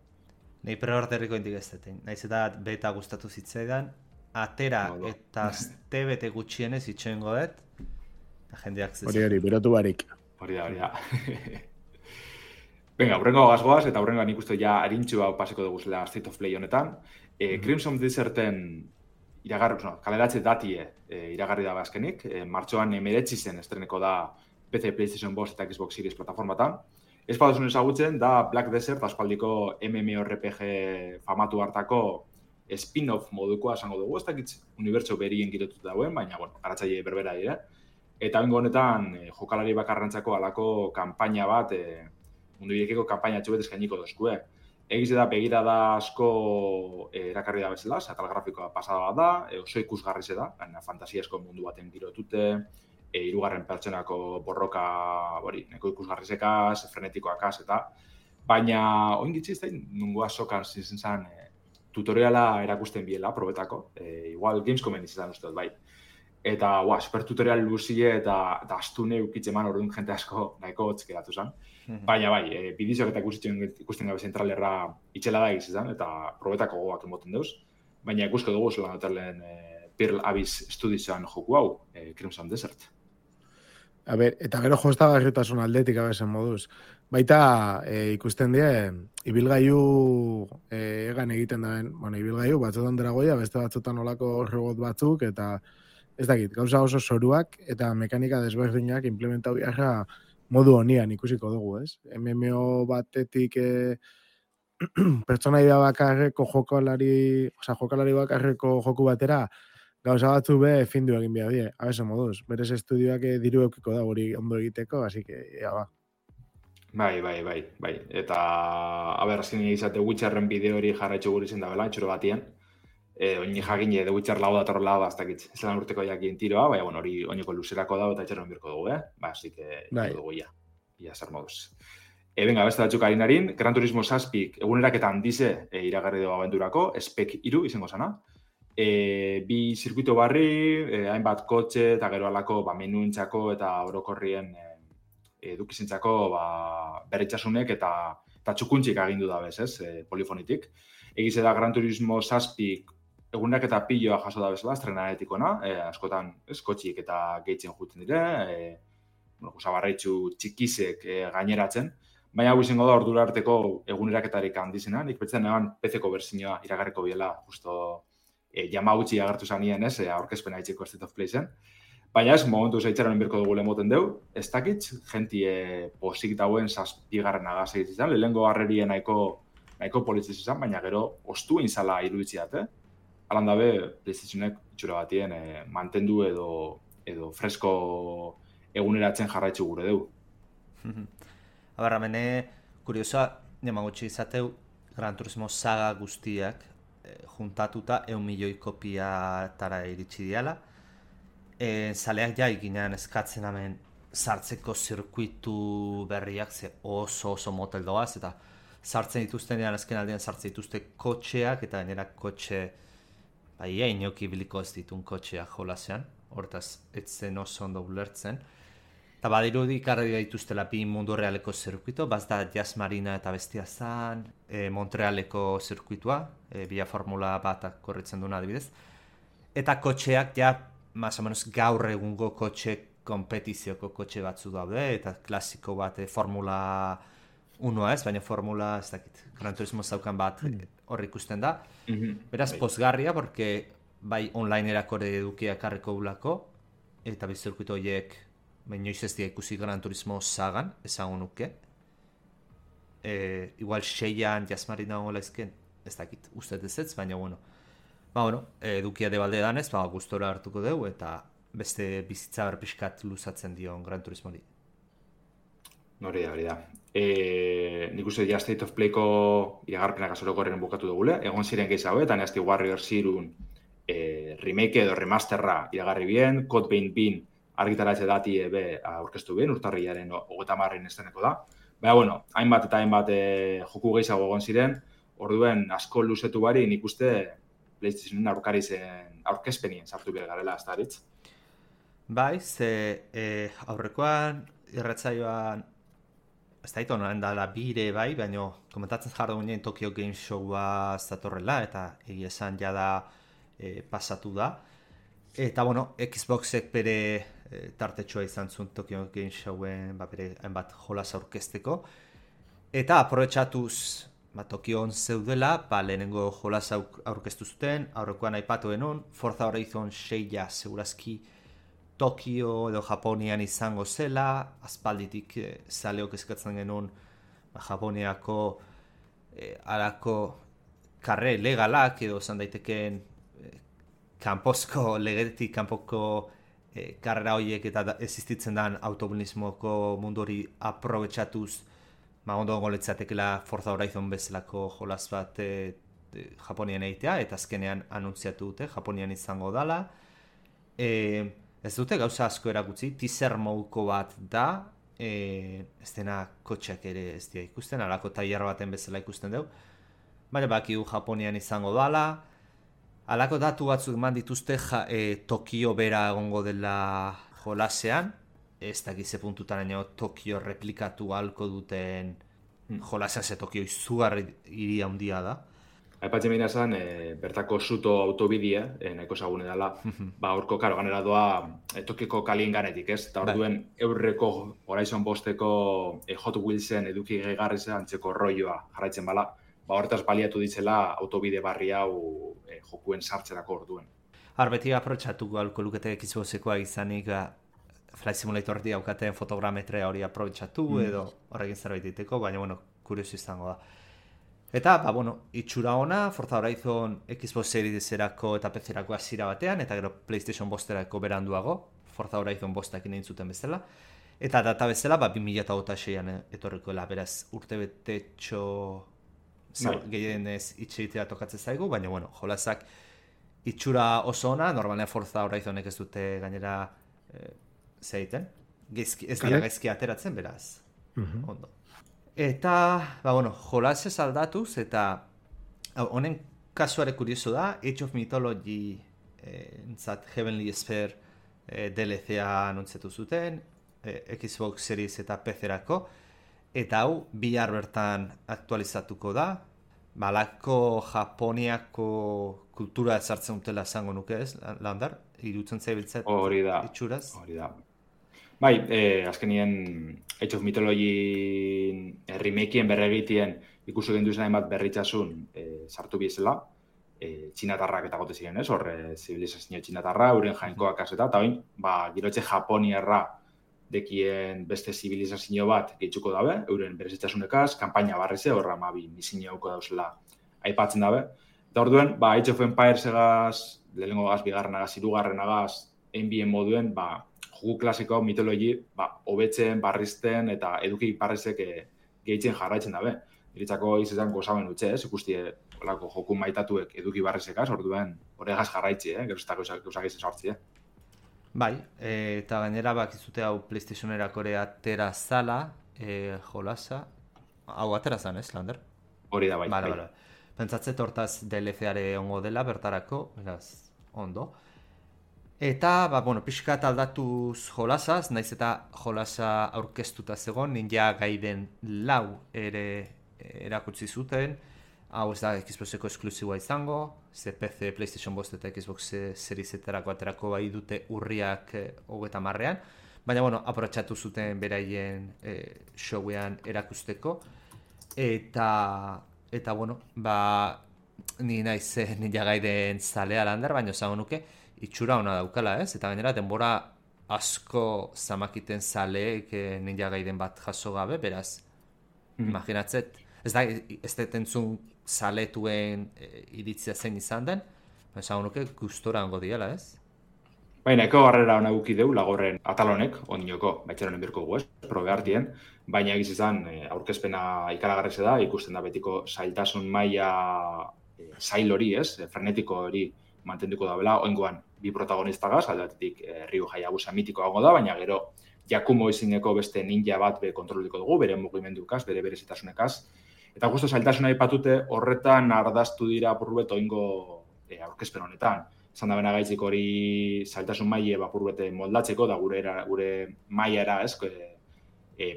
Nei pre-orderriko indik ez detein. Naiz eta beta gustatu zitzaidan, atera eta azte bete gutxienez itxoengo dut, jendeak zezen. Hori, berotu barik. Hori da. Venga, hurrengo gazgoaz, eta hurrengo nik uste ja harintxu hau paseko dugu zela State of Play honetan. Crimson Deserten kaleratze datie iragarri da azkenik. Martxoan 19 zen estreneko da PC, PlayStation 5 eta Xbox Series plataformatan. Ez baduzun ezagutzen da Black Desert aspaldiko MMORPG famatu hartako spin-off modukoa esango dugu. Ez dakit unibertso berien girotut dauen, baina garatzaile berbera dira. Eta bengo honetan jokalari bakarrantzako alako kanpaina bat mundu birekeko kanpaina txubet eskainiko dozkue. Egiz da begirada asko erakarri da bezala, atal grafikoa pasada bat da, oso ikusgarrize da, fantasiasko mundu baten girotute, hirugarren pertsonako borroka, neko ikusgarrizekaz, frenetikoakaz eta, baina oingitzi ez da, nungo azokan zintzen tutoriala erakusten biela, probetako, igual Gamescomen izan uste dut, bai. Eta, super tutorial luzie eta astune ukitzen man orduan jente asko nahiko hotzkeratu zen. Baina bai, bidizioak eta ikusten gabe zentralerra itxela da izan, eta probetako gogoak emoten deuz. Baina ikusko dugu zelan dutelen Pearl Abyss Studiosan joku hau, Crimson Desert. Eta gero jostagarritasun aldetik abezen moduz. Baita ikusten die, ibilgailu egan egiten daben, ibilgailu batzutan dragoia, beste batzutan olako robot batzuk, eta ez dakit, gauza oso zoruak eta mekanika desberdinak implementau biharra modu honian ikusiko dugu, ez? MMO batetik pertsonaia bakarreko jokalari bakarreko joku batera gauza batzu findu egin behar die, abezen moduz. Berez estudioak diru eukiko da hori ondo egiteko, así que, ba. Bai. Eta, azken izate Witcherren bideo hori jarraitxo guri zen da bela, etxoro batien. Oini jakin The Witcher lau da, ez dakit, ez lan urteko jakien tiroa, baina hori oineko luzerako da eta etxerren birko dugu, así que dugu ia zer moduz. Venga, beste batzuk harinarin, Gran Turismo 6 eguneraketan dize iragarri dugu abenturako, Spec 3 izango zana. Bi zirkuito barri, hainbat kotxe eta gero alako menuentzako eta orokorrien edukizentzako berritxasunek eta txukuntxik agindu da bez, polifonitik. Egize da Gran Turismo 6 egunak eta piloa jaso da bezala, estrenaretikona, askotan kotxik eta gehitzen juten dire, zabarraitzu txikizek gaineratzen, baina hau izango da ordura arteko eguneraketarik handizena, nik betzen eban PC-ko berzinoa iragarriko biela, justo Yamauchi agertu zanien, aurkezpena itxeko State of Play zen. Baina ez, momentu zeitzaren birko dugu lemoten deu, ez dakit, jentie posik dauen 7. agaz egizizan, lehenko garrerien nahiko politziz izan, baina gero ostu inzala iruditziat, alan dabe, PlayStationek itxura batien mantendu edo fresko eguneratzen jarraitzu gure dugu. Abarra, mene, kuriosoa, nemagotxe izateu, Gran Turismo saga guztiak juntatuta 1 milioi kopiatara iritsi diala. Zaleak ja ikinean eskatzen hemen sartzeko zirkuitu berriak ze oso motel doaz, eta sartzen dituztenean azken aldean sartzen dituzte kotxeak, eta gainera kotxe inoki biliko ez ditun kotxeak jolasean, hortaz etzen oso ondo ulertzen. Eta badirudi ikarri dituztela bi mundu realeko zirkuito, bazda Jazz Marina eta bestia zan, Montrealeko zirkuitua, bila formula batak korritzen duna adibidez. Eta kotxeak ja, más o menos gaur egungo kompetizioko kotxe batzu daude, eta klasiko bat formula 1 ez, baina formula, ez dakit, Gran Turismo zaukan bat hor ikusten da. Beraz, pozgarria, porque bai online-erako edukiak harriko gulako, eta bizirkuito horiek inoiz ez dira ikusi Gran Turismo sagan, ezagun nuke. Igual 6an Jazmarina hongola ezken, ez dakit, uste ez, baina bueno. Edukia debalde danez, gustora hartuko dugu, eta beste bizitza berpiskat luzatzen dion Gran Turismori. Hori da. Nik uste ja State of Playko iragarpenak azorokorren bukatu dugule, egon ziren gehiago, eta Nasty Warrior zirun remake edo remasterra iragarri bien, Code Vein bin argitaratze dati aurkeztu bien, urtarrilaren 30 esteneko da. Baina, hainbat eta hainbat joku gehiago egon ziren, orduen asko luzetu bari nik uste PlayStationen aurkezpenien sartu behar garela, ez da aritz? Bai, ze aurrekoan irratsaioan ez da itonan dala bire bai, baina komentatzen jardu ginen Tokyo Game Showa zatorrela, eta egia esan jada pasatu da. Eta, Xboxek bere tartetxoa izan zuen Tokyo Game Showen bere hainbat jolas aurkezteko. Eta aprobetxatuz Tokion zeudela, lehenengo jolas aurkeztu zuten, aurrekoan aipatu denun, Forza Horizon 6 segurazki Tokio edo Japonian izango zela, aspalditik zaleok eskatzen genuen Japoniako alako karre legalak edo zan daiteken legetik kanpoko karrera horiek eta existitzen den automobilismoko mundu hori aprobetxatuz ondo goletzatekela Forza Horizon bezalako jolas bat Japonian egitea, eta azkenean anuntziatu dute, Japonian izango dala. Ez dute gauza asko erakutsi, teaser moduko bat da, ez dena kotxeak ere ez dira ikusten, alako tailer baten bezala ikusten dugu. Baina bakigu Japonian izango dala, alako datu batzuk eman dituzte Tokio bera egongo dela jolasean, ez dakize puntutaraino Tokio replikatu halko duten jolasean, ze Tokio izugarri hiri handia da. Aipatzen behina zen, bertako Suto autobidea, nahiko zagune dela, horko ganera doa Tokioko kalien ganetik, ez? Eta orduen eurreko Horizon 5-eko Hot Wheelsen eduki gehigarri zen antzeko rolloa jarraitzen bala, horretaz baliatu ditzela autobide barri hau jokuen sartzerako orduen. Beti aprobetxatuko alko lukete Xboxekoa izanik, Flight Simulator daukaten fotogrametrea hori aprobetxatu edo horrekin zerbait diteko, baina, kurioso izango da. Eta, itxura ona, Forza Horizon Xbox Series-erako eta PC-erako hasiera batean, eta gero PlayStation 5-erako beranduago, Forza Horizon 5-ekin egin zuten bezala. Eta data bezala, 2026an etorrikoela, beraz, urtebetetxo gehienez itxeitea tokatzen zaigu, baina, jolasak itxura oso ona, normalean Forza Horizonek ez dute gainera zeiten, ez dira gaizki ateratzen, beraz, ondo. Eta, jolasez aldatuz, eta honen kasuare kurioso da, Age of Mythology Heavenly Sphere DLC-a anuntzetu zuten, Xbox Series eta PC-erako, eta hau, bihar bertan aktualizatuko da, balako Japoniako kultura ezartzen dutela esango nuke ez, Landar, irutzen zaibiltzat itxuraz. Hori da. Bai, azkenien Age of Mythology remakeen berregitien ikusi genduzen hainbat berritzasun sartu bizela, txinatarrak eta gote ziren, ez? Horre, zibilizazio txinatarra, euren jainkoak azeta, eta bain, girotxe Japoniarra dekien beste zibilizazio bat gehitzuko dabe, euren berezitasunekaz, kanpaina barrize, horra misinio hauko dauzela aipatzen dabe. Eta orduen, Age of Empires egaz, lehenengo gaz, bigarrenagaz, hirugarrenagaz, NBA moduen, jugu klasiko mitologi, hobetzen, barrizten eta eduki parrezek gehitzen jarraitzen dabe. Iritzako izan gozaben utxe, ikusti olako joku maitatuek eduki barrizekaz, orduen horregaz jarraitzi, geroztako gauzak izan sortzi, Bai, eta gainera bakizute hau PlayStationerako ere atera zala, jolasa, hau atera zan, Lander? Hori da, bai. Bale. Pentsatzet hortaz DLC-are ongo dela, bertarako, beraz, ondo. Eta, pixkat aldatuz jolasaz, naiz eta jolasa aurkeztuta zegoen, Ninja Gaiden 4 ere erakutsi zuten, hau ez da Xboxeko esklusiboa izango, ze PC, PlayStation 5 eta Xbox Series eterako aterako bai dute urriak 30ean, baina, aprotxatu zuten beraien showean erakusteko, eta ni naiz Ninja Gaiden zalea Lander, baina zango nuke, itxura ona daukala, ez? Eta gainera, denbora asko zamakiten zaleek Ninja Gaiden bat jaso gabe, beraz, imaginatzet, ez da entzun zaletuen iritzia zein izan den, zango nuke gustora ongo diela, ez? Baina, eko garrera hona guki deu, lagorren atalonek, ondinoko, baitxeronen birko gu, probe hartien, baina egiz izan, aurkezpena ikaragarreze da, ikusten da betiko zailtasun maila zail hori, frenetiko hori mantenduko da bela, oingoan bi protagonistagaz, aldatetik Ryu Hayabusa mitikoago da, baina gero Yakumo izineko beste ninja bat kontroliko dugu, bere mugimendukaz, bere berezitasunekaz. Eta justo zailtasuna aipatute horretan ardaztu dira apurbet oingo aurkezpen honetan. Zan da bena gaitzik hori zailtasun maile apurbete moldatzeko, da gure mailara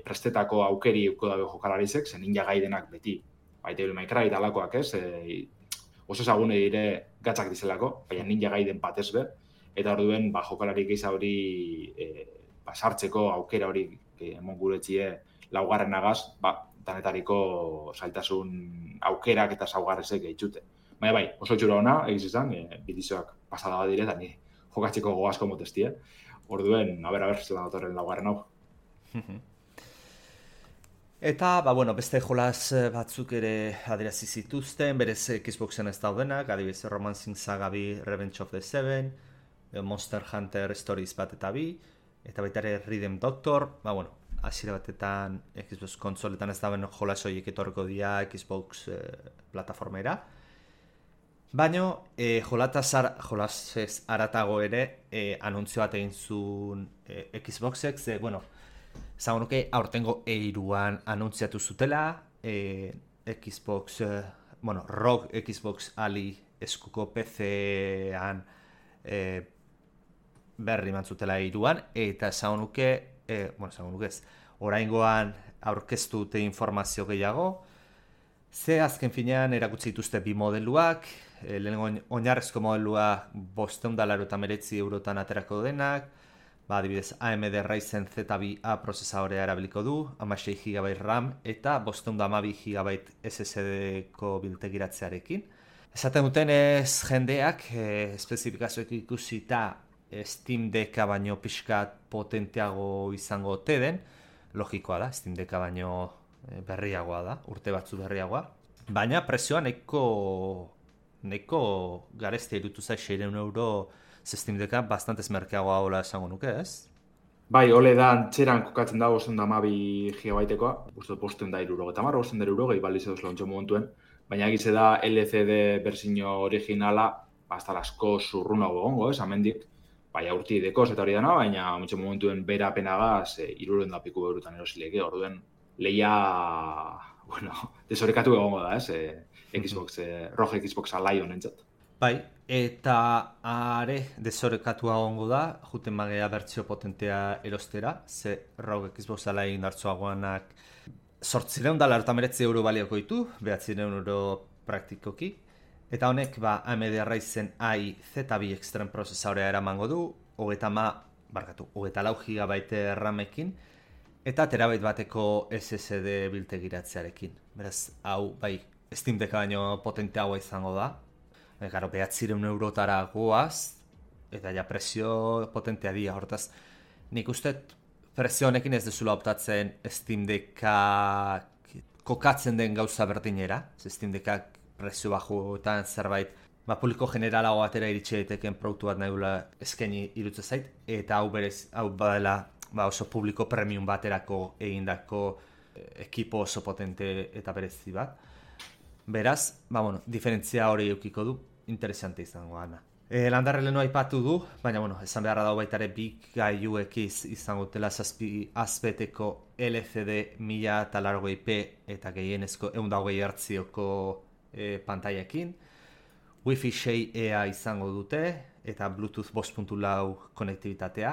prestetako aukeri uko dabe jokalarizek, zen Ninja Gaidenak beti. Devil May Cry talakoak, oso ezagune dire gatzak dizelako, baina Ninja Gaiden batez be, eta orduen jokalari gehiza hori sartzeko aukera hori emon guretxie laugarrenagaz, danetariko zailtasun aukerak eta saugarrezek gehitxute. Baina oso txura ona, egiz izan, bidizoak pasada bat dire, eta ni jokatzeko goazko motestie. Orduen, zelan datorren laugarren hau. Eta, beste jolas batzuk ere adierazi zituzten, berez Xboxen ez daudenak, adibidez Romancing Saga 2, Revenge of the Seven, Monster Hunter Stories bat eta 2, eta baita ere Rhythm Doctor, hasiera batetan Xbox konsoletan ez dauen jolas horiek etorriko dira Xbox plataformera. Baina, jolasez aratago ere, anuntzio bat egin zuen Xboxek, zago nuke aurtengo E3an anuntziatu zutela, Xbox, Rogue Xbox Ali eskuko PC-an berri mantzutela E3an, eta zago nuke ez, oraingoan aurkeztu dute informazio gehiago, ze azken finean erakutsi dituzte bi modeluak, lehenengo oinarrezko modelua €599 aterako denak, adibidez AMD Ryzen Z2A prozesadorea erabiliko du, 16 GB RAM eta 512 GB SSD-ko biltegiratzearekin. Esaten dutenez jendeak, espezifikazioek ikusita Steam Decka baino pixkat potenteago izango ote den, logikoa da, Steam Decka baino berriagoa da, urte batzu berriagoa, baina prezioa nahiko gareztia irutu zai €600 Steam Decka bastantez merkeagoa hola esango nuke, ez? Bai, ole da antxeran kokatzen da 512 GB-tekoa, uste €530, €530 baliz edo zlontxo momentuen, baina egize da LCD berzino originala, hasta asko zurrunago gongo, amendik, bai aurti dekoz eta hori dana, baina muntxo momentuen bera penagaz, 300 eurotan erosileke, orduen lehia, desorekatu egongo da, Xbox, Rogue Xbox Lion entzat. Bai, eta are desorekatua egongo da, juten magea bertzio potentea erostera, ze Rogue Xbox Lion hartzuagoanak €899 balioko ditu, €900 praktikoki, eta honek AMD Ryzen AI Z2 Extreme prozesadorea eramango du, 34 GB RAM-ekin, eta terabait bateko SSD biltegiratzearekin. Beraz, hau, Steam Decka baino potenteagoa izango da. Garo, €900 goaz, eta ja prezio potentea dira, hortaz. Nik uste prezio honekin ez dezula optatzen Steam Decka kokatzen den gauza berdinera, Steam Decka prezio bajuetan zerbait, publiko generalago batera iritsi daiteken produktu bat nahi eskaini iruditzen zait, eta hau badela oso publiko premium baterako egindako ekipo oso potente eta berezi bat. Beraz, diferentzia hori eukiko du, interesante izango gana. Landarre lehenu aipatu du, baina esan beharra dago baitare bi gailuek izango dutela 7 azbeteko LCD 1080p eta gehienezko 120 Hz-oko pantailekin. Wi-Fi 6E izango dute eta Bluetooth 5.4 konektibitatea.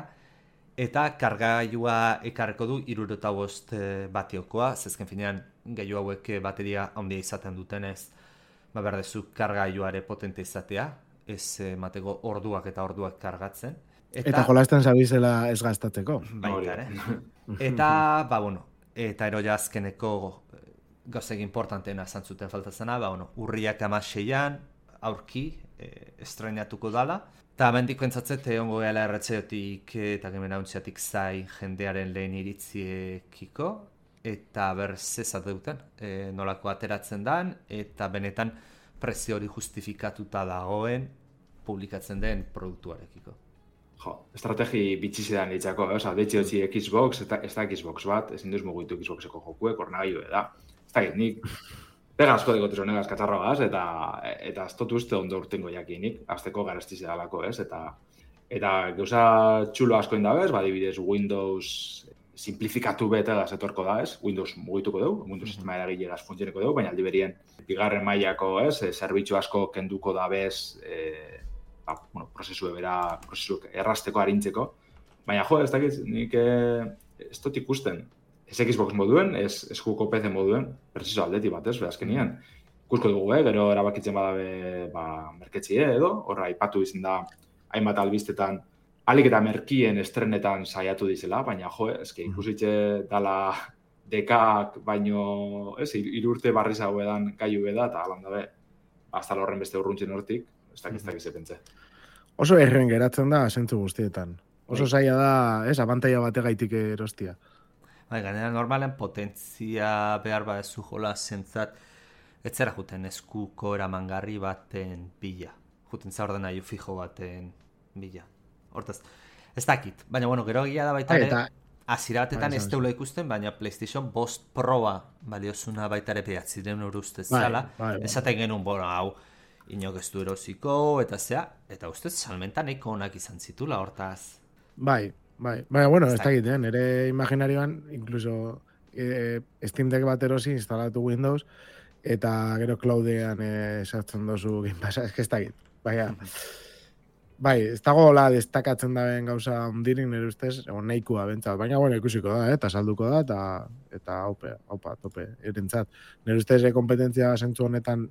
Eta kargailua ekarreko du 75 batiokoa, zezken finean gailu hauek bateria handia izaten dutenez, berdezu kargailuare potente izatea, ez mateko orduak eta orduak kargatzen. Eta jolasten zabizela ez gastatzeko. Baita, Eta, eta eroia azkeneko gauzek importanteena zantzuten faltatzena, urriak 16an, aurki, estrenatuko dala. Eta mendiko entzatzet, ongo gala erretzeotik eta gemenauntziatik zai jendearen lehen iritziekiko, eta zezat duten, nolako ateratzen dan, eta benetan prezio hori justifikatuta dagoen publikatzen den produktuarekiko. Estrategi bitxizidan ditzako, deitxe hotzi Xbox, ez da Xbox bat, ezin duz mugitu Xboxeko jokuek, ornagailu da. Ez da nik, pega asko dikotu zonegaz katzarroaz, eta ez dut uste ondo urtengo jakinik, azteko garestiz edalako, ez? Eta gauza txulo asko indabez, badibidez Windows simplifikatu bete etorko da, ez? Windows mugituko dugu, Windows sistema eragilegaz funtzioneko dugu, baina aldi berien bigarren mailako, ez? Zerbitzu asko kenduko da bez, prozesu errasteko arintzeko. Baina ez dakit, nik ez dut ikusten. Ez Xbox moduen, ez juko PC moduen, preciso aldeti bat, ez, azkenian. Ikusko dugu, gero erabakitzen badabe merketzie edo, horra aipatu izan da, hainbat albiztetan, alik eta merkien estrenetan saiatu dizela, baina ikusitxe dala dekak, baino, ez, 3 urte barriz hau edan gaiu beda, eta alan dabe, hasta horren beste urruntzen hortik, ez dakiz pentsa. Oso erren geratzen da, zentzu guztietan. Oso zaila da, ez, abantaila bategaitik erostia. Gainera normalen potentzia behar badezu jola zentzat, ez zera juten eskuko eramangarri baten bila. Juten za ordenailu fijo baten bila. Hortaz, ez dakit. Baina, gero egia da baitare, azira batetan ez teula ikusten, baina PlayStation 5 Proa baliozuna baitare 900 € ustez zala. Esaten genuen, hau, inok ez du erosiko, eta zea, eta ustez salmentan eko onak izan zitula, hortaz. Baina, ez dakit, nire imaginarioan, incluso Steam Deck bat erosi instalatu Windows, eta gero cloudean sartzen dozu Game Passa, ez dakit. Ez dago hola destakatzen daben gauza ondirik nire ustez, nahikoa bentsat, baina ikusiko da, eta salduko da, eta haupa, tope, erentzat. Nire ustez kompetentzia zentzu honetan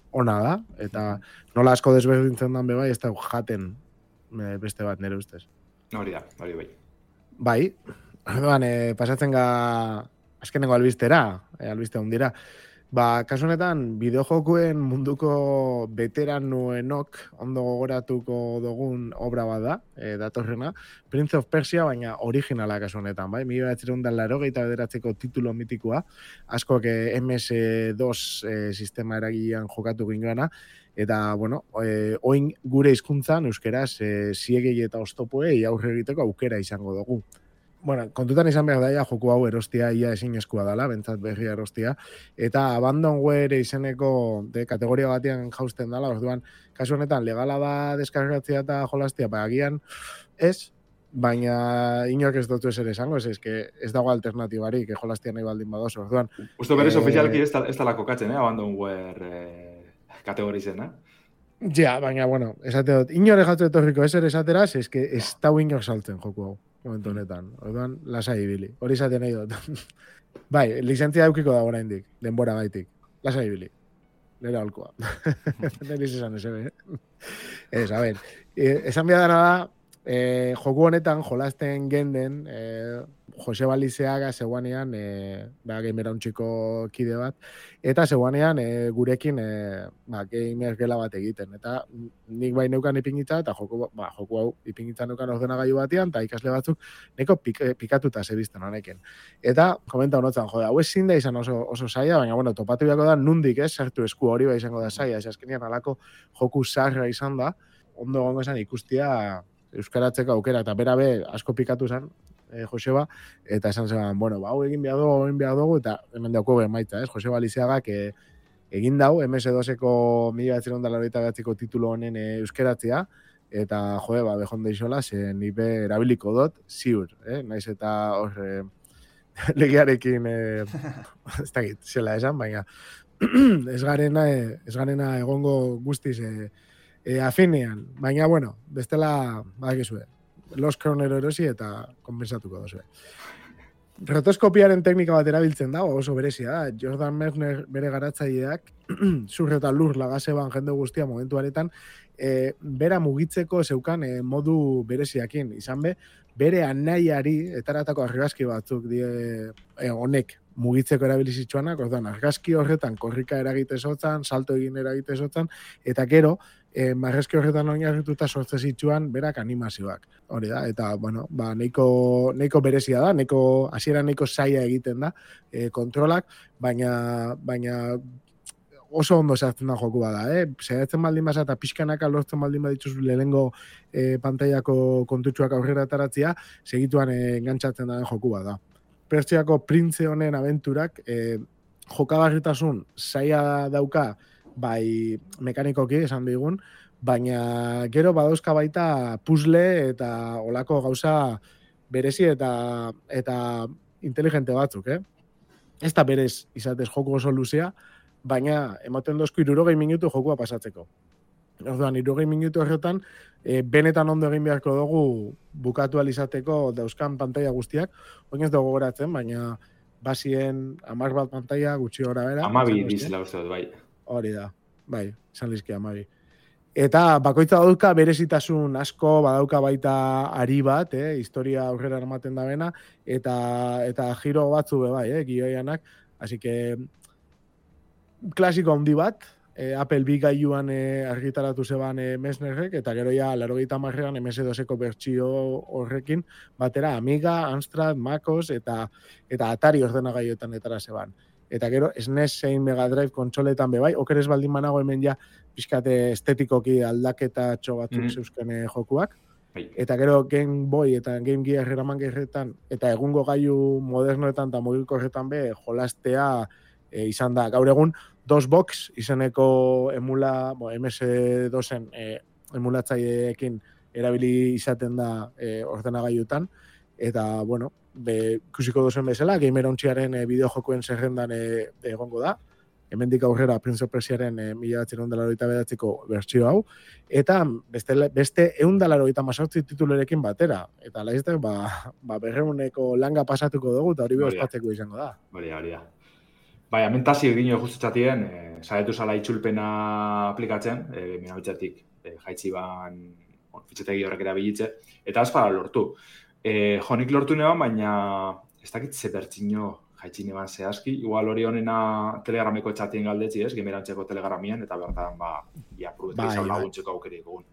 ona da, eta nola asko desberdintzen dan bebai, ez da jaten beste bat nire ustez. Hori bai. Bai, orduan, pasatzen azkenengo albistera, albiste hundira. Kasu honetan, bideojokuen munduko veteranoenok ondo gogoratuko dugun obra bat da, datorrena, Prince of Persia, baina originala kasu honetan, bai? 1989ko titulo mitikoa, askok MS2 sistema eragilean jokatu gingoana, eta, oin gure hizkuntzan euskeraz, ziegei eta oztopoei aurre egiteko aukera izango dugu. Kontutan izan behar daia, joku hau erostia ia ezinezkoa dela, bentsat berria erostia, eta Abandonware izeneko kategoria batean jausten dela, orduan, kasu honetan, legala da deskargatzea eta jolastia, agian ez, baina inork ez dutu eser esango, ez dago alternatibarik, jolastia nahi baldin badoz, orduan. Usto berez ofizialki ez dala kokatzen, Abandonware kategorizena. Ja, baina, esate dut, inore jatu etorriko eser esateraz, ez da inor saltzen joku hau. Momentu honetan. Orduan, lasai ibili. Hori izaten nahi dut. Bai, lizentzia daukiko da oraindik, denbora gaitik. Lasai ibili. Nera holkoa. Neriz esan ez, Ez, a ber. Esan behar da, joku honetan jolasten genden, Joseba Lizeaga zeguanean, gamer hauntxiko kide bat, eta zeguanean gurekin gamer gela bat egiten. Eta nik bai neukan ipingitza, eta joku hau ipingitza neukan ordenagailu batean, eta ikasle batzuk neko pikatuta zebizten honekin. Eta komenta honotzen, hau ezin da izan oso zaila, baina bueno, topatu biako da nundik sartu esku hori bai izango da zaila, azkenean alako joku zaharra izan da, ondo gongo esan ikustia euskaratzeko aukera, eta bera asko pikatu zen, Joseba, eta esan zeban, bueno, hau egin behar dugu, eta hemen dauko emaitza, Joseba Lizeagak egin dau, MS2-eko 1989ko titulu honen euskaratzea, eta behonde isola, ze nipe erabiliko dut, ziur, naiz eta hor legiarekin, ez dakit, zela esan, baina ez garena egongo guztiz afinean, baina, bueno, bestela, badakizue, Los Kronero erosi eta konbensatuko dozue. Rotoskopiaren teknika bat erabiltzen da, oso berezia da. Jordan Mechner bere garatzaileak, zur eta lur lagaseban jende guztia momentu aretan, bera mugitzeko zeukan modu bereziakin. Izan bere anaiari, etaratako argazki batzuk honek mugitzeko erabilizitzuanak, ordan argazki horretan korrika eragite zotzan, salto egin eragite zotzan, eta gero, marrezki horretan oinarrituta sortze zitsuan berak animazioak. Hori da, eta, bueno, neiko berezia da, hasiera neiko zaila egiten da, kontrolak, baina oso ondo zehazten da joku bada, Zehazten baldin basa eta pixkanaka lortzen baldin badituz lehenengo pantaiako kontutxuak aurrera ataratzea, segituan engantzatzen da joku bada. Pertsiako printze honen abenturak jokagarritasun zaila dauka, bai mekanikoki esan digun, baina gero badauzka baita puzzle eta olako gauza berezi eta inteligente batzuk, Ez da berez izatez joku oso luzea, baina ematen dozku 60 minutu jokua pasatzeko. Orduan, 60 minutu horretan, benetan ondo egin beharko dugu bukatu alizateko dauzkan pantaila guztiak, oin ez dugu goratzen, baina basien 10 bat pantaila gutxi gora bera. 12 dizela uste dut, bai. Hori da, bai, izan lizki 12. Eta bakoitza dauka berezitasun asko, badauka baita ari bat, historia aurrera ematen da bena, eta giro batzu bai, gioianak, así que klasiko handi bat, Apple B gailuan argitaratu zeban Messnerrek, eta gero ja 80ean MS2-eko bertsio horrekin, batera Amiga, Amstrad, MacOS eta Atari ordenagailuetan etara zeban. Eta gero SNES zein Mega Drive kontsoletan bai, okeres baldin manago hemen ja pixkate estetikoki aldaketa batzuk zeuzken jokuak. Eta gero Game Boy eta Game Gear eraman gerretan, eta egungo gailu modernoetan eta mugikorretan jolastea izan da. Gaur egun, DOSBox izeneko MS2-en emulatzaileekin erabili izaten da ordenagailutan, eta, bueno, ikusiko dozen bezala, Gamer Ontziaren bideojokuen zerrendan egongo da, hemendik aurrera Prince of Persiaren 1989ko bertsio hau, eta beste 198 titulerekin batera, eta laizte, 200 langa pasatuko dugu, eta hori behospatzeko izango da. Hori da. Bai, amentazio egin justutxatien, saietu zala itxulpena aplikatzen, minabitzatik jaitzi ban fitxetegi horrek erabilitze, eta azpara lortu. Jonik lortu neban, baina ez dakit ze bertxino jaitzi neban zehazki, igual hori honena telegrameko txatien galdetzi, gemerantzeko telegramien, eta bertan, aprubetu izan laguntzeko aukerik egun.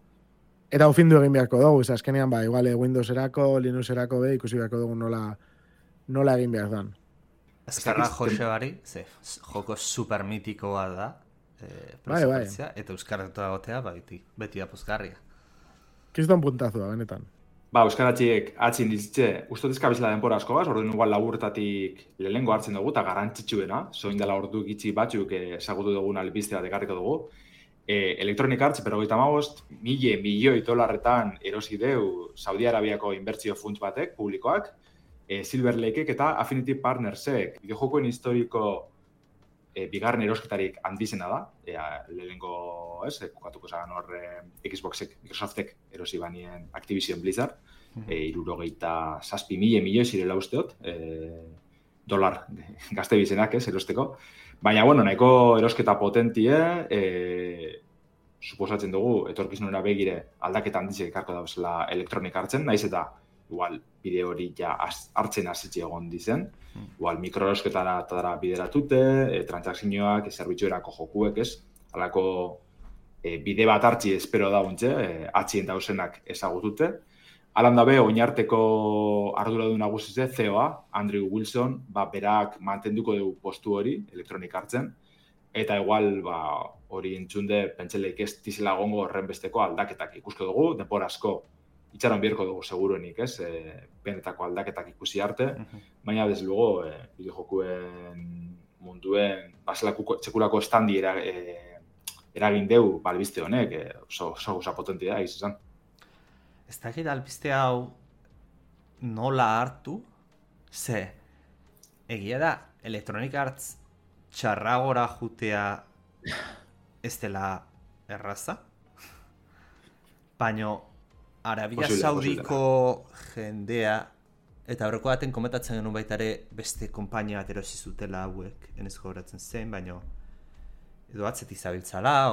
Eta ufindu egin beharko dugu, azkenean, igual Windowserako, Linuxerako ikusi beharko dugu nola egin behar dan. Ezkerra Josebari, joko super mitikoa da, eta euskaratu agotea, beti apuzgarria. Kiston puntazua, benetan. Euskaratxiek atzin dizitze, ustot ezkabizela denpora asko gaz, orduan igual laburtatik lehengo hartzen dugu, eta garantzitsuena, zoin dela ordu gitzi batzuk ezagutu dugun albiztea dekarriko dugu. Electronic Arts, pero $1.000 milioi erosi deu Saudi Arabiako inbertsio funts batek, publikoak, Silver Lakeek eta Affinity Partnersek, bideojokoen historiko bigarren erosketarik handizena da, lehenengo, kokatuko zagan hor Xboxek, Microsoftek erosi banien Activision Blizzard, 67 milioi zirela usteot, dolar gazte bizenak, erosteko. Baina, bueno, nahiko erosketa potentie, suposatzen dugu, etorkizunera begire aldaketa handizek ekarko dauzela elektronik hartzen, naiz eta igual bide hori ja hartzen hasitxe egon dizen, igual mikroerosketara bideratute, transakzioak, zerbitzuerako jokuek, ez? Halako bide bat hartzi espero dauntze, atxien dauzenak ezagutute. Alan dabe, oinarteko arduradun nagusize, CEO-a, Andrew Wilson, berak mantenduko dugu postu hori, elektronik hartzen, eta igual, hori entzunde, pentseleik ez dizela gongo horren besteko aldaketak ikusko dugu, denbora asko itxaron bierko dugu seguruenik, ez? Benetako aldaketak ikusi arte, baina desde luego, bideojokuen munduen, txekulako estandi eragin deu, albiste honek, oso gauza potentia da, izan. Ez dakit albiste hau nola hartu, ze egia da Electronic Arts txarragora jutea ez dela erraza, baino Arabia Saudiko jendea, eta horreko baten komentatzen genuen baita ere beste konpainia bat erosi zutela hauek, enez gogoratzen zen, baino edo atzeti zabiltzala,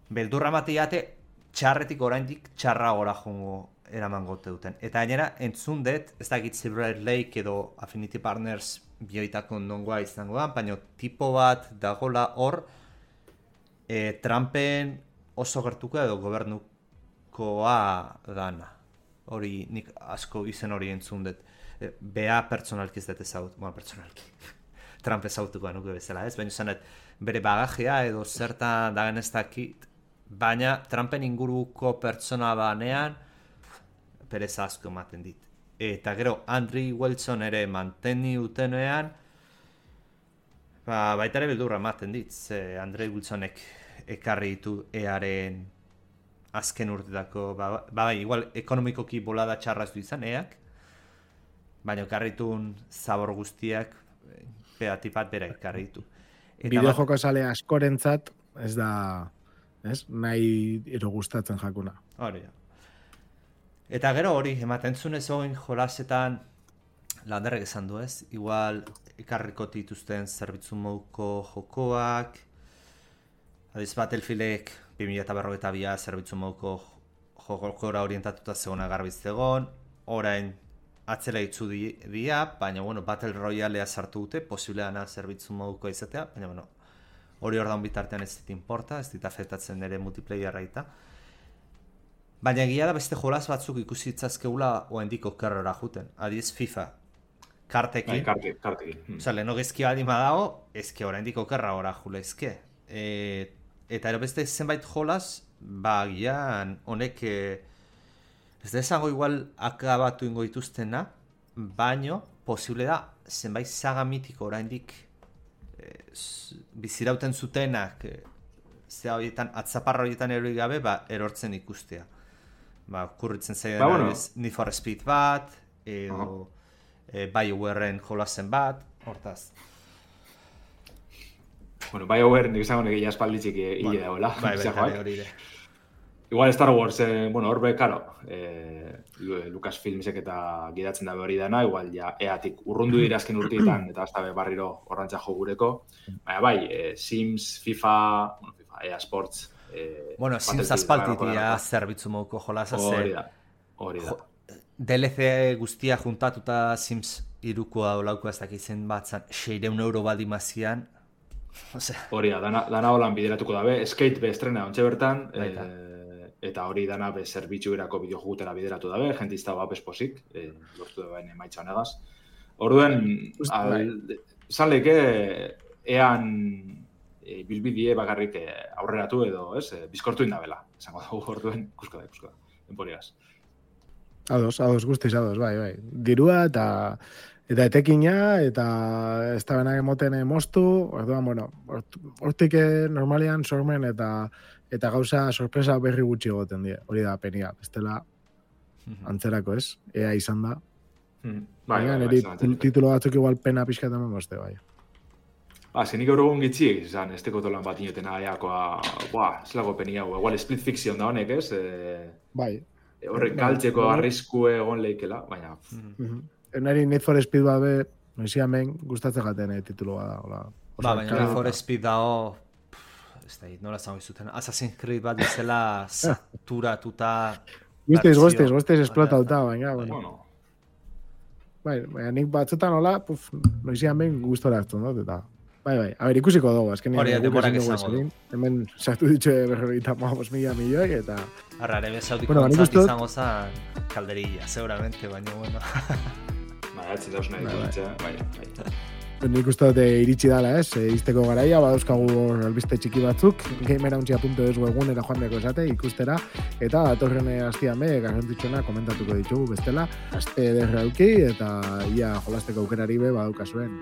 beldurra matiate txarretik oraindik txarragora jongo eraman gote duten. Eta gainera, entzun dut, ez dakit Silver Lake edo Affinity Partners bioitako nongoa izango da, baina tipo bat dagola hor, Trumpen oso gertuko edo gobernukoa dana. Hori, nik asko izen hori entzun dut. Bea pertsonalki ez dut ezagut, pertsonalki. Trump ezautuko nuke bezala, ez? Baina zanet, bere bagajea edo zertan dagen ez dakit, baina Trumpen inguruko pertsona banean perez asko ematen dit. Eta gero, Andrew Wilson ere manteni utenean, baita ere beldurra ematen dit, ze Andrew Wilsonek ekarri ditu EAren azken urtetako, igual ekonomikoki bolada txarraz du izan EAk, baina ekarri ditun zabor guztiak tipat bera ekarri ditu. Bideojoko sale askorentzat ez da, nahi ero gustatzen jakuna. Hori da. Eta gero hori, ematen zunez oin jolasetan landerrek esan du ez, igual ekarriko dituzten zerbitzu moduko jokoak, adiz Battlefieldek 2042 zerbitzu moduko jokora orientatuta zegona garbiz egon, orain atzela itzu dia, baina Battle Royalea sartu dute, posible dana zerbitzu moduko izatea, baina hori ordan bitartean ez dit importa, ez dit afektatzen ere multiplayerra eta. Baina egia da beste jolas batzuk ikusi ditzazkeula oendiko kerrora juten. Adiz FIFA, kartekin. Kartekin. Osa, leheno gezki badi madago, ezke oraindiko kerra ora jule ezke. Eta ero beste zenbait jolas, gian honek, ez da esango igual akabatu ingo dituztena, baino posible da zenbait saga mitiko oraindik bizirauten zutenak atzaparra horietan erori gabe, erortzen ikustea. Kurritzen zaidan Need for Speed bat, edo BioWaren jolasen bat, hortaz. BioWare nik izango negia espalditzik hile dagoela. Hori ere. Igual Star Wars, horbe, karo, Lucasfilmsek eta gidatzen dabe hori dana, igual ja EAtik urrundu dira azken urteetan, eta hasta barriro horrantza jogureko. Baina Sims, FIFA, EA Sports... Sims aspaltitia zerbitzu moduko jolasa Hori da. DLC guztia juntatuta Sims irukoa olauko ez dakitzen batzan 600 euro badimazian. Hori da, dana holan bideratuko dabe, Skate be estrena ontxe bertan, eta hori dana be zerbitzu erako bideojugutera bideratu dabe, jentizta esposik, lortu da baina emaitza honegaz. Orduen, zan leke, ean bilbidie bakarrik aurreratu edo, bizkortu indabela. Esango dugu orduen, ikusko da, enporiaz. Ados, guztiz ados, bai. Dirua eta etekina, eta ez da benak emoten moztu, orduan, hortik normalian sormen eta gauza sorpresa berri gutxi egoten die. Hori da penia, bestela antzerako ez, ea izan da. Baina, niri titulo batzuk igual pena pixkat eman bozte, bai. Zenik eurogun gitziek izan, ez teko tolan bat inotena aiakoa, zelago penia, igual split fiction da honek, ez? Bai. Horrek galtzeko arriskue egon leikela, baina... Nari Need for Speed bat be, noizi hemen gustatzen jaten tituloa da. Baina Need for Speed dago, ez da, nola zango izuten, Assassin's Creed bat izela saturatuta... Guztiz esplotauta, baina, bueno. Bai, nik batzutan hola, noizian behin gustora hartu, no? Eta, bai, a ber, ikusiko dugu, azken hori demorak izango du. Hemen sartu ditxe 45 milioi, eta... Arrare bezautiko ontzat izango zan kalderilla, seguramente, baina, bueno. Atzi dauz nahi dut, bai. Nik uste dut iritsi dala, izteko garaia, badauzkagu albiste txiki batzuk, gamerauntxia.es webgunera joan deko esate, ikustera, eta datorren hastian be, garrantzitsuena komentatuko ditugu bestela, aste ederra auki, eta ia jolasteko aukerari be badaukazuen.